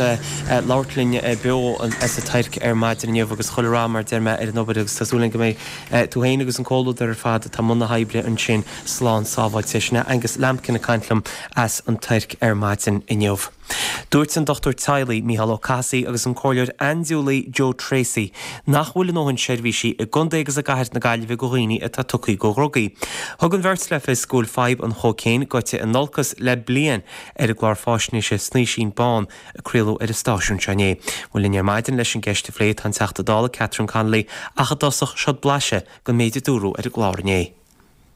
labhairt linn beo as an Tuirc ar maidin inniu agus chuile rath, mar a deir mé, ar an obair agus tá súil againn go mbeidh tú féin agus an comhluadar ar fad atá i mbun na hoibre ansin slán sábháilte. Sin é Angus Lambkin ag caint liom as an Tuirc ar maidin inniu. Dúirt an dochtúir teaghlaigh, Mícheál Ó Cathasaigh agus an comhairleoir aindiúlaí Joe Tracey nach bhfuil a ndóthain seirbhísí i gcontae agus i gcathair na Gaillimhe do dhaoine atá tugtha do dhrugaí. Thug an bheirt le fios go bhfuil fadhb an chóicéin gaibhte in olcas le bliain ar an gclár fáisnéise Snaoisín Bán a craoladh ar an stáisiún seo inné. Bhuel linn ar maidin leis an gceist a phlé tá an Teachta Dála Catherine Connolly ach i dtosach seod blaiseadh den méid a dúradh ar an gclár inné.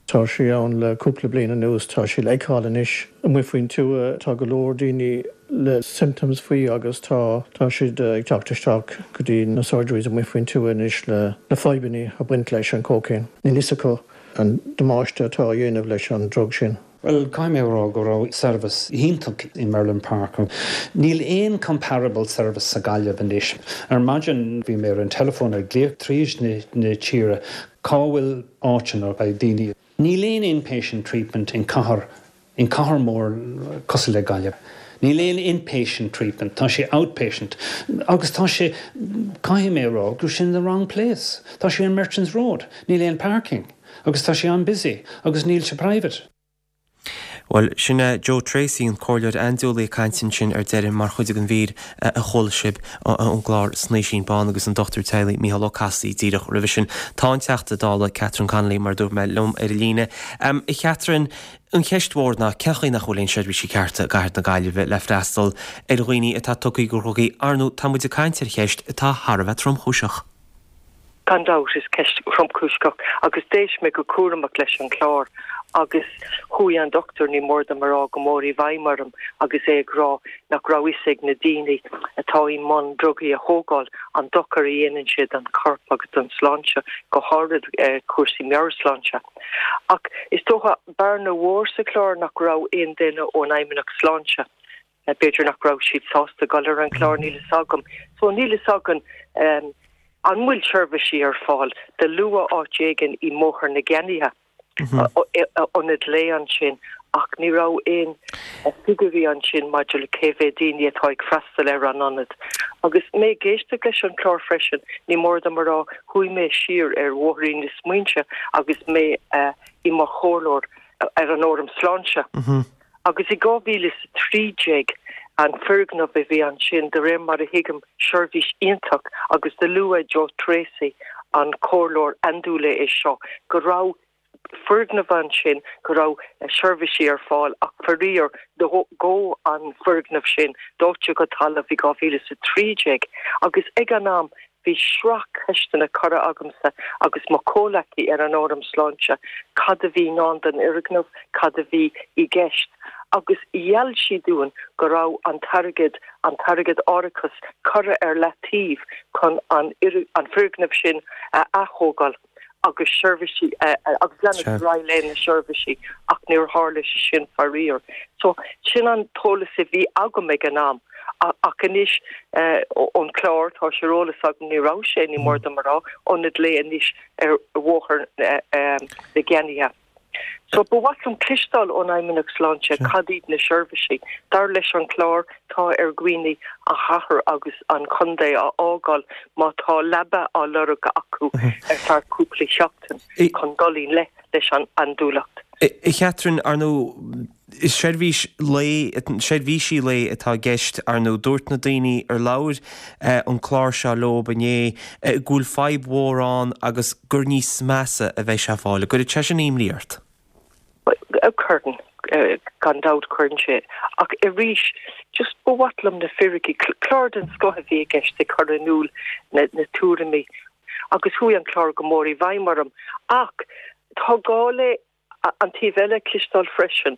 Tá sé ann le cúpla bliain anuas. Tá sé le feiceáil anois amuigh faoin tuath. Tá go leor daoine le symptoms faoi agus tá tá siad ag teacht isteach go dtí na surgeries amuigh faoin tuath anois le na fadhbanna a baint leis an cocaine. Níl fhios acu an damáiste atá á dhéanamh leis an drug sin. Bhuel, caithfidh mé a rá go raibh service iontach i Merlin Park. Níl aon comparable service sa Gaillimh anois. Ar maidin bhí mé ar an teileafón ag glaoch tríd na tíre cá bhfuil áiteanna ag daoine. Níl aon inpatient treatment in cathair, in cathair mór cosúil le Gaillimh. Níl aon inpatient treatment, tá sé outpatient. Agus tá sé, caithfidh mé a rá, go raibh sé in the wrong place. Tá sé ar Merchants Road, níl aon parking agus tá sé an-busy agus níl sé private. Bhuel, sin é Joe Tracey, an comhairleoir andúiligh ag caint ansin ar deireadh mar chuid den mhír a chuala sibh ón gclár Snaoisín Bán agus an dochtúir teaghlaigh Mícheál Ó Cathasaigh díreach roimhe sin. Tá an Teachta Dála Catherine Connolly, mar a dúirt mé, liom ar an líne. A Chatherine, an cheist mhór ná cén chaoi nach bhfuil aon seirbhísí cearta i gcathair na Gaillimhe le freastal ar dhaoine atá tugtha do dhrugaí? Ar ndóigh, tá muid ag caint ar cheist atá thar a bheith tromchúiseach. Gan dabht, is ceist thromchúiseach agus d'éist mé go cúramach leis an chlár agus chuaigh an dochtúir, ní mór dom a rá, go mór i bhfeidhm orm agus é ag rá nach raibh fhios ag na daoine atá i mbun drugaí a thógáil an dochar a dhéanann sé don chorp agus don sláinte, go háirid cúrsaí meabhairshláinte. Ach is dócha, bearna mhór sa chlár nach raibh aon duine ón Fheidhmeannacht Sláinte. B'fhéidir nach raibh siad sásta dul ar an chlár, níl fhios agam. So níl fhios againn an bhfuil seirbhísí ar fáil. Do luadh áit éigin i mBóthar na gCeannaithe, ionad lae ansin, ach ní raibh aon figiúirí ansin maidir le cé mhéad daoine atá ag freastal ar an ionad. Agus mé ag éisteacht leis an chlár freisin, ní mór dom a rá, chuaigh mé siar ar bhóithrín na smaointe agus mé i mo chomhairleoir ar an Fhóram Sláinte. Agus i 2013, an foirgneamh a bhí ansin, de réir mar a thuigim, seirbhís iontach agus do luaigh Joe Tracey, an comhairleoir andúile é seo, go raibh foirgneamh ansin, go raibh seirbhísí ar fáil ach faraor dódh an foirgneamh sin, dóite go talamh i 2013 agus ag an am Bhí sraith ceisteanna curtha agamsa agus mo chomhleacaí ar an Fhóram Sláinte, cad a bhí i ndán don fhoirgneamh, cad a bhí i gceist, agus gheall siad dúinn go raibh an t-airgead, an t-airgead árachais curtha ar leataobh chun an foirgneamh sin a ath-thógáil. agus seirbhísí agus leanacht ar aghaidh le na seirbhísí ach níor tharla sé sin faraor. So sin an t-eolas a bhí agam ag an am ach anois ón chlár tá sé ar eolas agam ní raibh sé, ní mór dom a rá, ionad lae anois ar Bhóthar na gCeannaithe. So ba mhaith liom cloisteáil ón Fheidhmeannacht Sláinte cad iad na seirbhísí. Dar leis an chlár, tá ar dhaoine an chathair agus an chontae a fhágáil má tá leaba á lorg acu ar feadh cúpla seachtain chun dul i ngleic leis an andúileacht. A Chatherine, ar ndóigh, Is seirbhís lae, seirbhísí lae atá i gceist, ar ndóigh. Dúirt na daoine ar labhair an clár seo leob inné go bhfuil fadhb mhór ann agus gur níos measa a bheidh sé ag fáil. An gcuireann sé sin imní ort? Cuireann, gan dabht cuireann sé. Ach arís, just ba mhaith liom na fíricí, clár den scoth a bhí i gceist ag cur in iúl na tuairimí agus chuaigh an clár go mór i bhfeidhm orm. Ach tá gá le An taobh eile a chloisteáil freisin.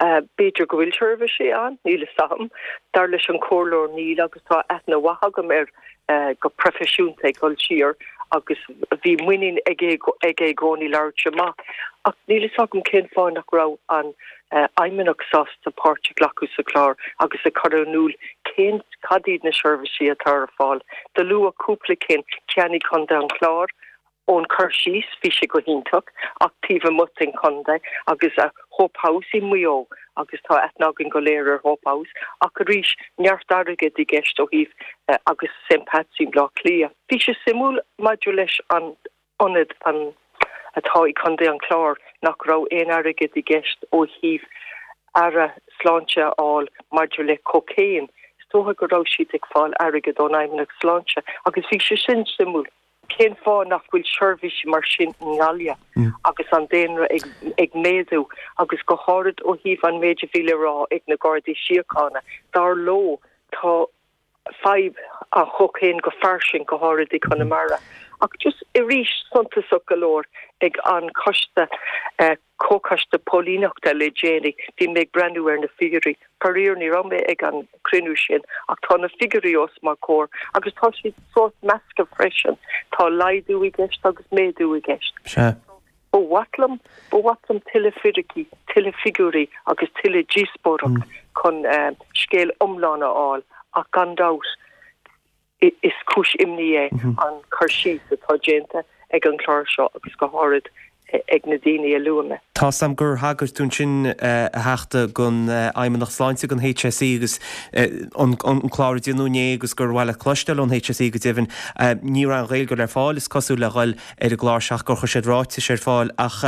B'fhéidir go bhfuil seirbhísí ann, níl fhios agam. Dar leis an chomhairleoir níl agus tá aithne mhaith agam air go proifisiúnta ag dul siar agus bhí muinín aige i gcónaí labhairt amach. Ach níl fhios agam cén fáth nach raibh an Fheidhmeannacht sásta páirt a ghlacadh sa chlár agus a chur in iúl cén cad iad na seirbhísí atá ar fáil. Do luadh cúpla cinn, ceann i gContae an Chláir, Ón cur síos, bhí sé go hiontach, ach taobh amuigh den chontae, agus Hope House i Maigh Eo, agus tá aithne againn go léir ar Hope House, ach arís, neart airgid i gceist ó thaobh, agus St Pat's i mBleá Cliath. Bhí sé suimiúil maidir leis an ionad an atá i gContae an Chláir, nach raibh aon airgead i gceist ó thaobh aire sláinte a fháil maidir le cocaine. Is dócha go raibh siad ag fáil airgead ón Fheidhmeannacht Sláinte, agus bhí sé sin suimiúil. Cén fáth nach bhfuil seirbhísí mar sin i nGaillimh agus an daonra ag méadú agus go háirid ó thaobh an méid a bhí le rá ag na Gardaí Síochána, dar leo tá fadhb an chócaon go fairsing, go háirid i gConamara. Ach just arís suntasach go leor ag an choiste Comhchoiste Póilíneachta le déanaí, bhí mé ag breathnú ar na figiúirí. Faraor, ní raibh mé ag an cruinniú sin, ach tá na figiúirí os mo chomhair agus tá siad sórt measctha freisin. Tá laghdú i gceist agus méadú i gceist. Sea. Ba mhaith liom, ba mhaith liom tuilleadh fíricí, tuilleadh figiúirí agus tuilleadh díospóireacht chun scéal iomlán a fháil, ach gan dabht, Is cúis imní é an cur síos atá déanta ag an chlár seo agus go háirid Ag na daoine a luaigh mé. Tá's a'm gur thagair tú ansin, a Theachta, don Fheidhmeannacht Sláinte, don HSE agus an clár a déanadh inné agus gur mhaith leat cloisteáil ón HSE go deimhin. Ní raibh an Ghaeilge le fáil, is cosúil, le dhul ar an gclár seo ach gur chuir siad ráitis ar fáil. Ach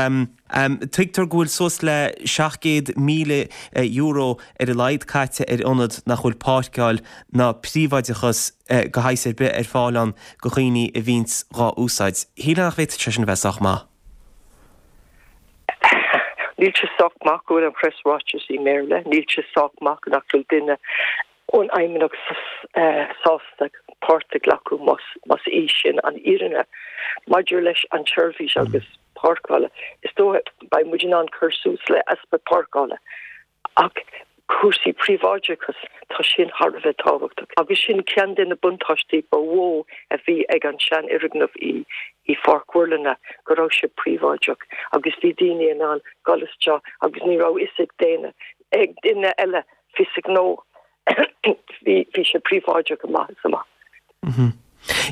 tuigtear go bhfuil suas le €700,000 ar a laghad caite ar ionad nach bhfuil páirceáil ná príobháideachas de shaghas ar bith ar fáil ann do dhaoine a bhíonns dhá úsáid. Shílfeá nach bhféadfadh sé sin a bheith sách maith. Níl sé sách maith go bhfuil an preasráiteas i mBéarla, níl sé sách maith nach bhfuil duine ón Fheidhmeannacht sásta páirt a ghlacadh más í sin an fhírinne. Maidir leis an tseirbhís agus páirceála, is dóigh beidh muid in ann cur suas le easpa páirceála. Ach cúrsaí príobháideachais, tá sin thar a bheith tábhachtach. Agus sin ceann de na buntáistí ba mhó a bhí ag an seanfhoirgneamh i Pháirc Mhuirlinne, go raibh sé príobháideach agus bhí daoine in ann dul isteach agus ní raibh fhios ag daoine, ag duine eile fios a ngnó. Bhí sé príobháideach amach is amach.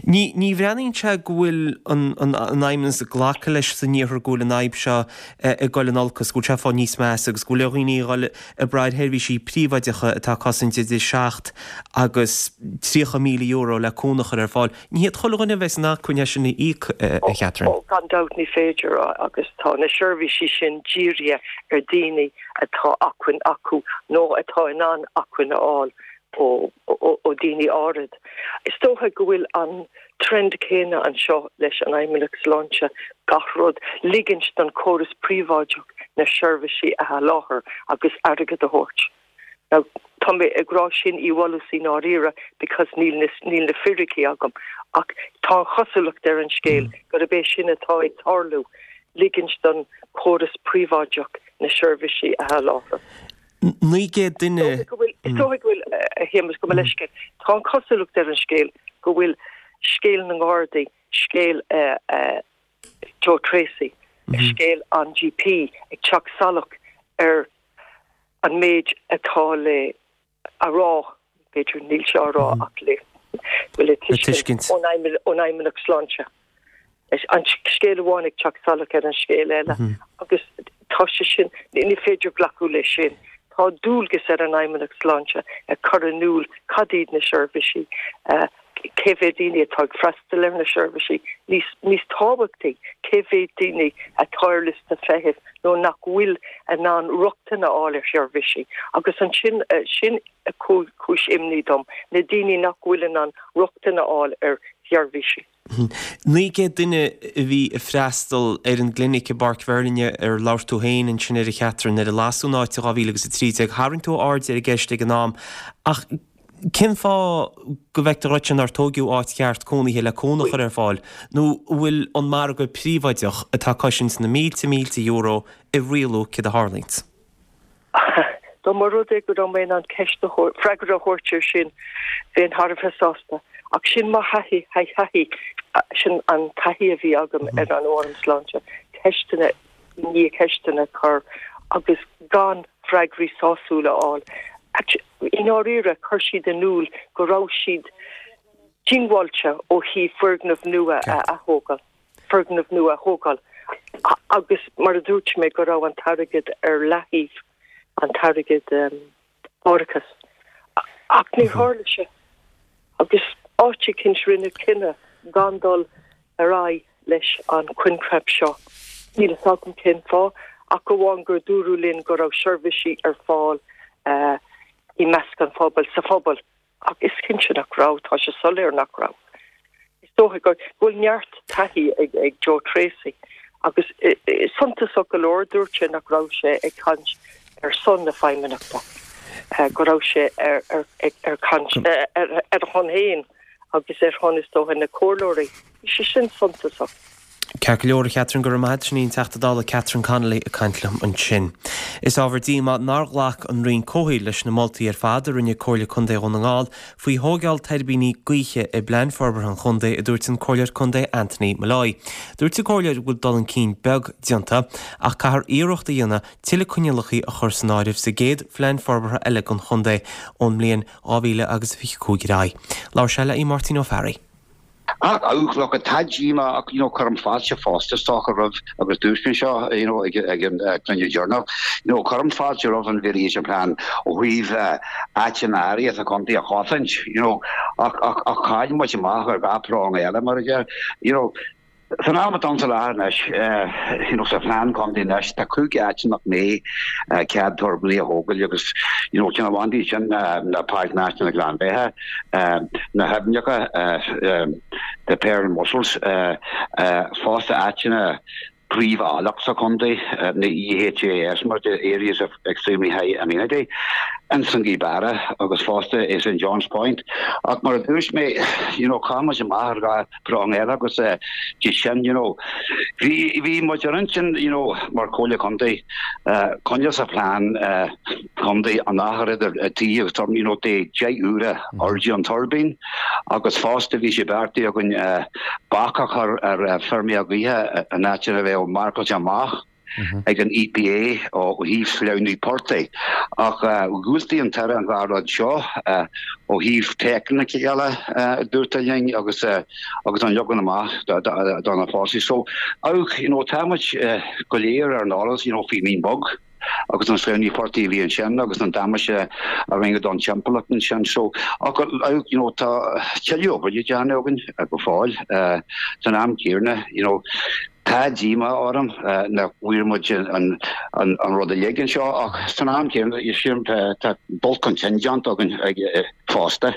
Ní ní bhreathnaíonn sé go bhfuil an an Fheidhmeannas ag glacadh leis san iarthar go bhfuil an fhadhb seo ag dul in olcas, go bhfuil sé ag fáil níos measa agus go bhfuil ar dhaoine a dhul ag brath ar sheirbhísí príobháideacha atá ag cosaint idir 7 agus €30,000 le cúnamh a chur ar fáil. Ní hiad chuile dhuine a bheas in acmhainn é sin a íoc, a Chatherine. Ó, gan dabht ní féidir agus tá na seirbhísí sin dírithe ar daoine atá acmhainn acu nó atá in ann acmhainn a fháil ó ó daoine áirid. Is dócha go bhfuil an trend céanna anseo leis an Fheidhmeannacht Sláinte, gach rud, ligint don chóras príobháideach na seirbhísí a sholáthar agus airgead a thabhairt. Now, tá mé ag rá sin i bhfolús i ndáiríre because níl na, níl na fíricí agam ach tá an chosúlacht ar an scéal gurb é sin atá ag tarlú, ligint don chóras príobháideach na seirbhísí a sholáthar. 900 duine. Is dóigh go bhfuil, a Shéamus, gabh mo leithscéal, tá an chosúlacht ar an scéal go bhfuil scéal na nGardaí, scéal Joe Treacy, scéal an GP ag teacht salach ar an méid atá le a rá, b'fhéidir, níl sé á rá ach le, le tuiscint ón Fheidhmeannacht Sláinte. An scéal amháin ag teacht salach ar an scéal eile agus tá sé sin, ní féidir glacadh leis sin. Tá dualgas ar an Fheidhmeannacht Sláinte a chur in iúl cad iad na seirbhísí, cé mhéad daoine atá ag freastal ar na seirbhísí, níos, níos tábhachtaí, cé mhéad daoine atá ar liosta feithimh nó nach bhfuil in ann rochtain a fháil ar sheirbhísí. Agus ansin, sin cúis imní dom, na daoine nach bhfuil in ann rochtain a fháil ar sheirbhísí. 900 duine a bhí ag freastal ar an gclinic i bPáirc Mhuirlinne ar labhair tú féin ansin air a Chatherine nuair a lasadh an áit i 2013. Tharraing tú aird ar an gceist ag an am ach cén fáth go bhfeictear dhuitse nár tóigeadh áit cheart cónaithe le cúnamh a chur ar fáil nó an bhfuil an margadh príobháideach atá ag cosaint na mílte mílte euro ag rialú céard a tharlaíonns? Dá mba rud é go raibh mé in ann ceist a thabhairt, freagra a thabhairt air sin, bheinn thar a bheith sásta. Ach sin mo thaithí, thaithí, sin an taithí a bhí agam ar an Fhóram Sláinte, ceisteanna i ndiaidh ceisteanna a chur agus gan freagraí sásúla a fháil. I ndáiríre, chuir siad in iúl go raibh siad diongbháilte ó thaobh foirgneamh nua a athógáil. foirgneamh nua a thógáil agus mar a dúirt mé go raibh an t-airgead ar leathaobh, an t-airgead árachais. Ach níor tharla sé agus áit eicínt rinneadh cinneadh gan dul ar aghaidh leis an choincheap seo. Níl fhios agam cén fáth ach amháin gur dúradh linn go raibh seirbhísí ar fáil i measc an phobail, sa phobal. Ach is cinnte nach raibh, tá sé soiléir nach raibh. Is dócha go bhfuil neart taithí ag Joe Treacy agus suntasach go leor dúirt sé nach raibh sé ag caint ar son na Feidhmeannachta, go raibh sé ar caint ar a shon féin agus ar shon is dócha na comhairleoirí. Bhí sé sin suntasach. Ceart go leor, a Chatherine, go raibh maith agat. Sin í an Teachta Dála Catherine Connolly ag caint liom ansin. Is ábhar díomá nár ghlac an Roinn Comhshaoil leis na moltaí ar fad a rinne Comhairle Contae Dhún na nGall faoi thóigeáil tuirbíní gaoithe i bPlean Forbartha an Chontae, a dúirt an Comhairleoir Contae Anthony Molloy. Dúirt an Comhairleoir go bhfuil dul chun cinn beag déanta ach caithfear iarracht a dhéanamh tuilleadh coinníollacha a chur san áireamh sa gcéad Phlean Forbartha eile don chontae ón mbliain 2025 ar aghaidh. Labhair sé le Máirtín Ó Fearraigh. Ach, look, tá díomá ach, you know, cuirim fáilte fosta is dócha roimh, agus dúirt mé seo, you know, ag ag an cruinniú deireanach, you know, cuirim fáilte roimh an Variation Plan ó thaobh áiteanna áirithe sa chontae a chosaint, you know, ach ach ach chaill muid amach ar gach prong eile, mar a deir, you know. San am atá ann sa láthair anois, you know, sa phlean contae anois, tá 5 áit nach mbeidh cead tuirbíní a thógáil agus, you know, ceann amháin díobh sin ná Páirc Náisiúnta na Gleann Bheatha, na haibhneacha, the pearl mussels, fosta áiteanna príomh-áilleacht sa chontae, na EHAS mar the Areas of Extremely High Amenity, ins an Ghaoth Beara agus fosta i St John's Point. Ach mar a dúirt mé, you know, chaill muid amach ar dhá prong eile agus de sin, you know, bhí, bhí muid ar intinn, you know, mar Chomhairle Contae, coinneáil sa phlean contae an achar idir tithe agus tuirbín, you know, de 10 uaire airde an tuirbín agus fosta bhí sé beartaithe againn bac a chur ar feirmeacha gaoithe in áiteanna a bheadh marcáilte amach. ag an EPA ó thaobh sleamhnú portaigh. Ach dhiúltaigh an tAire an dhá rud seo ó thaobh teicniceála, a dúirt linn, agus agus an leagan amach do na fásai. So, you know, tá muid go léir ar an eolas, you know, faoi Mín Bog agus an sleamhnú portaigh a bhí ansin agus an damáiste a rinneadh don timpeallacht ansin. So, ach, you know, tá tuilleadh obair le déanamh againn go fóill san am céanna, you know, Tá díomá orm nach bhfuair muid an rud uilig anseo ach san am céanna tá dul chun cinn déanta againn fosta.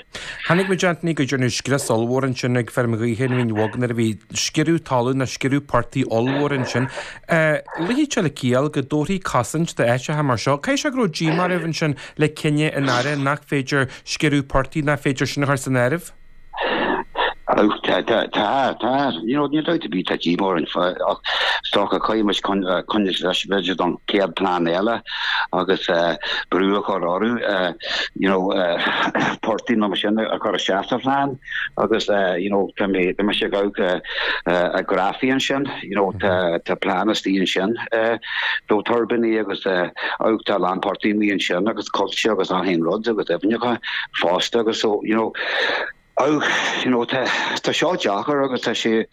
Chonaic muid Anthony go ndearnadh scrios ollmhór ansin ag feirm ghaoithe an Mhín Bhog nuair a bhí sciorradh talún nó sciorradh portaigh ollmhór ansin. Luífidh sé le ciall go dtabharfaí cosaint d'áiteacha mar seo. Caithfidh sé go raibh díomá oraibh ansin le cinneadh an Aire nach féidir sciorradh portaigh, nach féidir sin a chur san áireamh? Tá, tá, tá, you know, níl dabht ar bith, tá díomá orainn ach is dócha caithfidh muid coinneáil leis b'fhéidir don chéad plean eile agus brú a chur orthu, you know, portaigh nó mar sin a chur isteach sa phlean agus, you know, tá mé, tá mise ag amharc ar ghrafaí ansin, you know, tá, tá plean istigh ansin do tuirbíní agus amharc tá a lán portaigh amuigh ansin agus coillte agus achan aon rud agus aibhneacha fosta agus so, you know, Ach, you know, tá, tá seo deacair agus tá sé,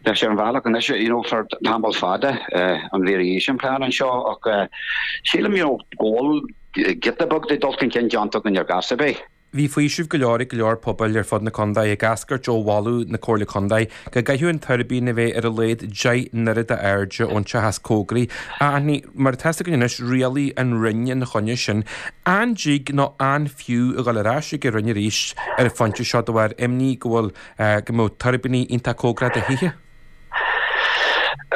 tá sé ar an bhealach anois, you know, for tamall fada, an variation plan anseo ach sílim, you know, go bhfuil giota beag de dul chun cinn déanta againn ar gas ar bith. Bhí faoiseamh go leor ag go leor pobail ar fud na contae ag eascairt ó mholadh na Comhairle Contae go gcaithfeadh an tuirbín a bheith ar a laghad 10 n-oiread d'airde ón teach is cóngaraí. A Anthony, mar atá 'fhios againn anois, rialaigh an Roinn ina choinne sin. An dtig nó an fiú a dhul ar ais ag an Roinn arís ar an phointe seo de bharr imní go bhfuil, go mbeadh tuirbíní iontach cóngarach do thithe?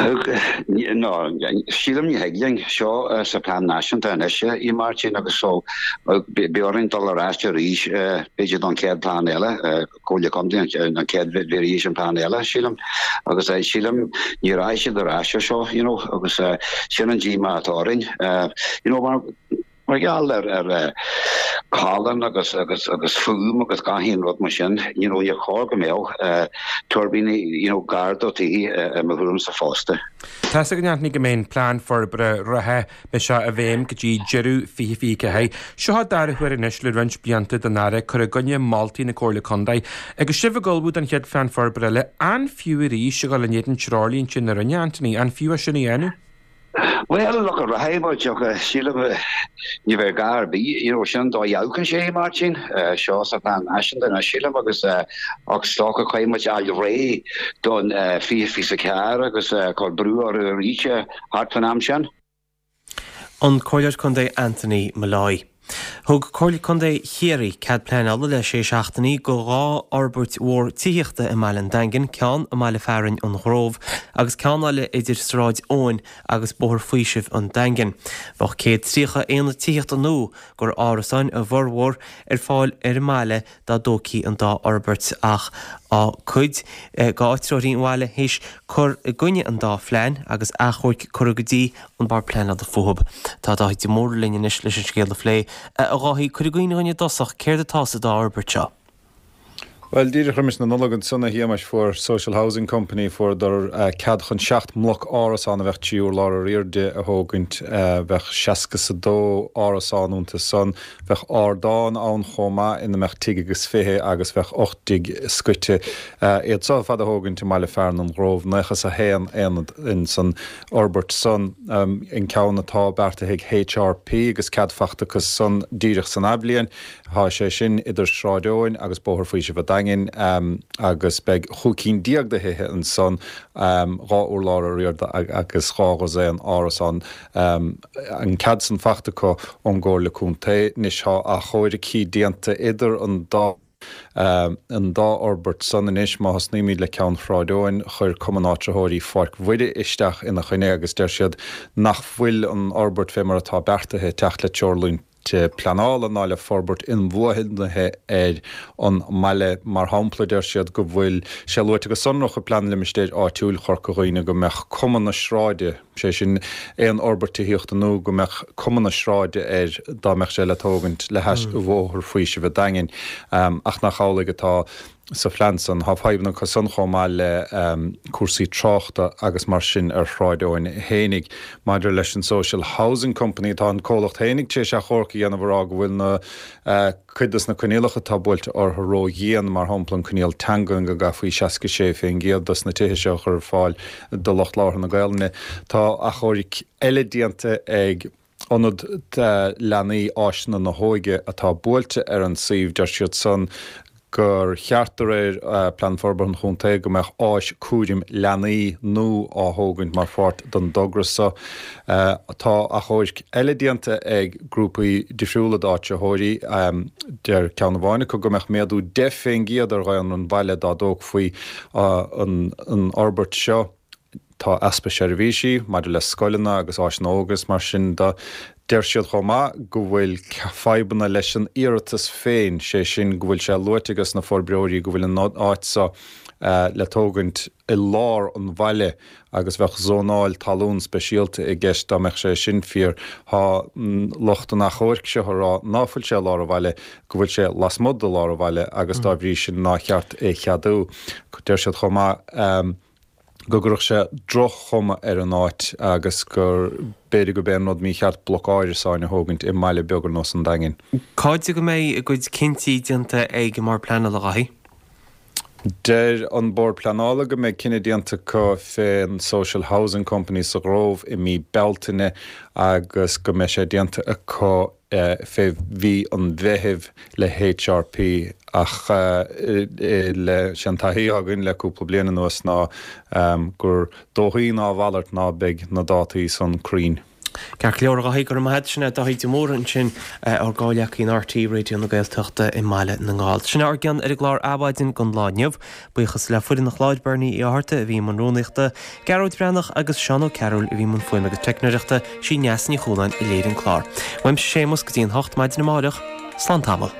No, sílim ní thig linn. Seo sa phlean náisiúnta anois í Máirtín agus so beidh orainn dul ar ais arís b'fhéidir don chéad plean eile, Comhairle Contae an chéad variation plan eile sílim agus sílim ní rachaidh siad ar ais ar seo you know agus sin an díomá atá orainn you know mar Mar gheall ar ar challán agus agus agus fuaim agus gach aon rud mar sin, you know, níor chóir go mbeadh tuirbíní, you know, gar do tithe i mo thuairimse fosta. Tá 'fhios againn Anthony go mbeidh an plean forbartha reatha, beidh sé i bhfeidhm go dtí deireadh 2024. Seo an dara huair anois le roinnt blianta don Aire cur i gcoinne moltaí na Comhairle Contae. Agus sibh ag ullmhú don chéad phlean forbartha eile, an fiú arís a dhul in éadan treoirlínte na Roinne, Anthony? An fiú é sin a dhéanamh? Bhuel, look, rachaidh muid ach sílim ní bheidh gá ar bith, you know, sin an dóigh a amharcann sé, Máirtín, seo sa phlean náisiúnta anois, sílim, agus ach is dócha caithfidh muid fháil réidh don 2024 agus cur brú orthu arís thart fán am sin. An Comhairleoir Contae Anthony Molloy. Thug Comhairle Contae Chiarraí cead pleanála le sé seachtainí do dhá fhorbairt mhór tithíochta i mbaile an Daingin, ceann i mbaile fearainn an Ghrove agus ceann eile idir Sráid Eoin agus Bóthar Faoisimh an Daingin. Bheadh 130 aonad tithíochta nua, gur árasáin a bhformhór, ar fáil ar an mbaile dá dtógfaí an dá fhorbairt ach tá cuid d'áitritheoirí an bhaile théis cur i gcoinne an dá phlean agus achomhairc curtha go dtí an Bord Pleanála fúthu. Tá Dáithí de Mórdha linn anois leis an scéal a phlé. A Dháithí, cuir i gcuimhne dhúinn i dtosach céard atá sa dá fhorbairt seo? Bhuel, díreach roimis na Nollag ansan, a Shéamais, fuair Social Housing Company, fuaireadar cead chun 7 mbloc árasán a bheadh 3 urlár ar airde a thógaint. Bheadh seasca 's a dó árasán iontu san. Bheadh ardán ann chomh maith ina mbeadh tigh agus fiche agus bheadh 8 dtigh scoite. Iad so ar fad a thógaint i mbaile fearainn an Ghrove, 91 aonad insan fhorbairt san. An ceann atá beartaithe ag HRP agus cead fachta acu san díreach san athbhliain. Tá sé sin idir Sráid Eoin agus Bóthar Faoisimh a' Daingin agus beidh chúig cinn déag de thithe ansan, 2 urlár ar airde agus dhá dhosaen árasán. An cead san fachta acu ón gComhairle Contae. Anois tá achomhaircí déanta idir an dá an dá fhorbairt san anois. Má thosnaímid le ceann Shráid Eoin, chuir Cumann Áitritheoirí Pháirc Mhuire isteach ina choinne agus deir siad nach bhfuil an fhorbairt fé mar atá beartaithe ag teacht le treoirlínte pleanála ná le forbairt inbhuanaithe ar an mbaile. Mar shampla, deir siad go bhfuil sé luaite go sonrach i bPlean Limistéir Áitiúil Chorca Dhuibhne go mbeadh cuma na sráide, sé sin, aon fhorbairt tithíochta nua, go mbeadh cuma na sráide air dá mbeadh sé le tógaint le hais Bhóthar Faoisimh a' Daingin, ach nach amhlaidh atá. sa phlean san. Tá fadhbanna acu san chomh maith le cúrsaí tráchta agus mar sin ar Shráid Eoin fhéinig. Maidir leis an Social Housing Company, tá an comhlacht fhéinig tar éis achomharc a dhéanamh a rá go bhfuil na cuid dos na coinníollacha atá buailte orthu ró-dhian, mar shampla an coinníoll teangan go gcaithfí 66% dos na tithe seo a chur ar fáil do lucht labhartha na Gaelainne. Tá achomhairc eile déanta ag. Ionad Leanaí Áiseanna na hÓige atá buailte ar an suíomh, deir siad san gur cheart de réir Plean Forbartha an Chontae go mbeadh áis cúraim leanaí nua á thógaint mar pháirt den dtogra so. Tá achomhairc eile déanta ag grúpaí difriúla d'áitritheoirí. Deir ceann amháin acu go mbeadh méadú 10% ar dhaonra an bhaile dá dtógfaí an fhorbairt seo. Tá easpa seirbhísí maidir le scoileanna agus áiseanna óige is mar sin de. Deir siad chomh maith go bhfuil fadhbanna leis an iarratas féin, sé sin go bhfuil sé luaite ages na forbróirí go bhfuil an áit seo le tógaint i lár an bhaile agus bheadh zónáil talún speisialta i gceist dá mbeadh sé sin fíor. Tá lucht an achomhairc seo ag rá ná fuil sé i lár an bhaile, go bhfuil sé lasmuigh de lár an bhaile agus dá bhrí sin nár cheart é cheadú. Deir siad chomh maith. go gcuirfeadh sé droch-chuma ar an áit agus gur b'fhéidir gurb é an rud mícheart bloc árasáin a thógaint i mbaile beag ar nós an Daingin. Cá fhad go mbeidh a gcuid cinntí déanta ag an mBord Pleanála, a Dhaithí? Deir an Bord Pleanála go mbeidh cinneadh déanta acu fén Social Housing Company sa Ghrove i mí Bealtaine agus go mbeidh sé déanta acu fé mhí an Mheithimh le HRP ach le, sé an taithí atá againn le cúpla bliain anuas ná gur dóichí ná a mhalairt ná beidh na dátaí san cruinn. Ceart go leor, a Dhaithí, go raibh maith agat. Sin é Daithí de Mórdha ansin, ár gcomhghleacaí in RTÉ Raidió na Gaeltachta i mBaile na nGall. Sin é ár gcion ar an gclár Adhmhaidin don lá inniu. Buíochas le foireann an chláir, Bernie Uí Fhátharta a bhí i mbun rúnaíochta, Gearóid Breathnach agus Seán Ó Cearúil a bhí i mbun fuaime agus teicneoireachta, sí Neasa Ní Chualáin a léirigh an clár. Uaimse Séamus go dtí an hocht maidin amáireach, slán tamall.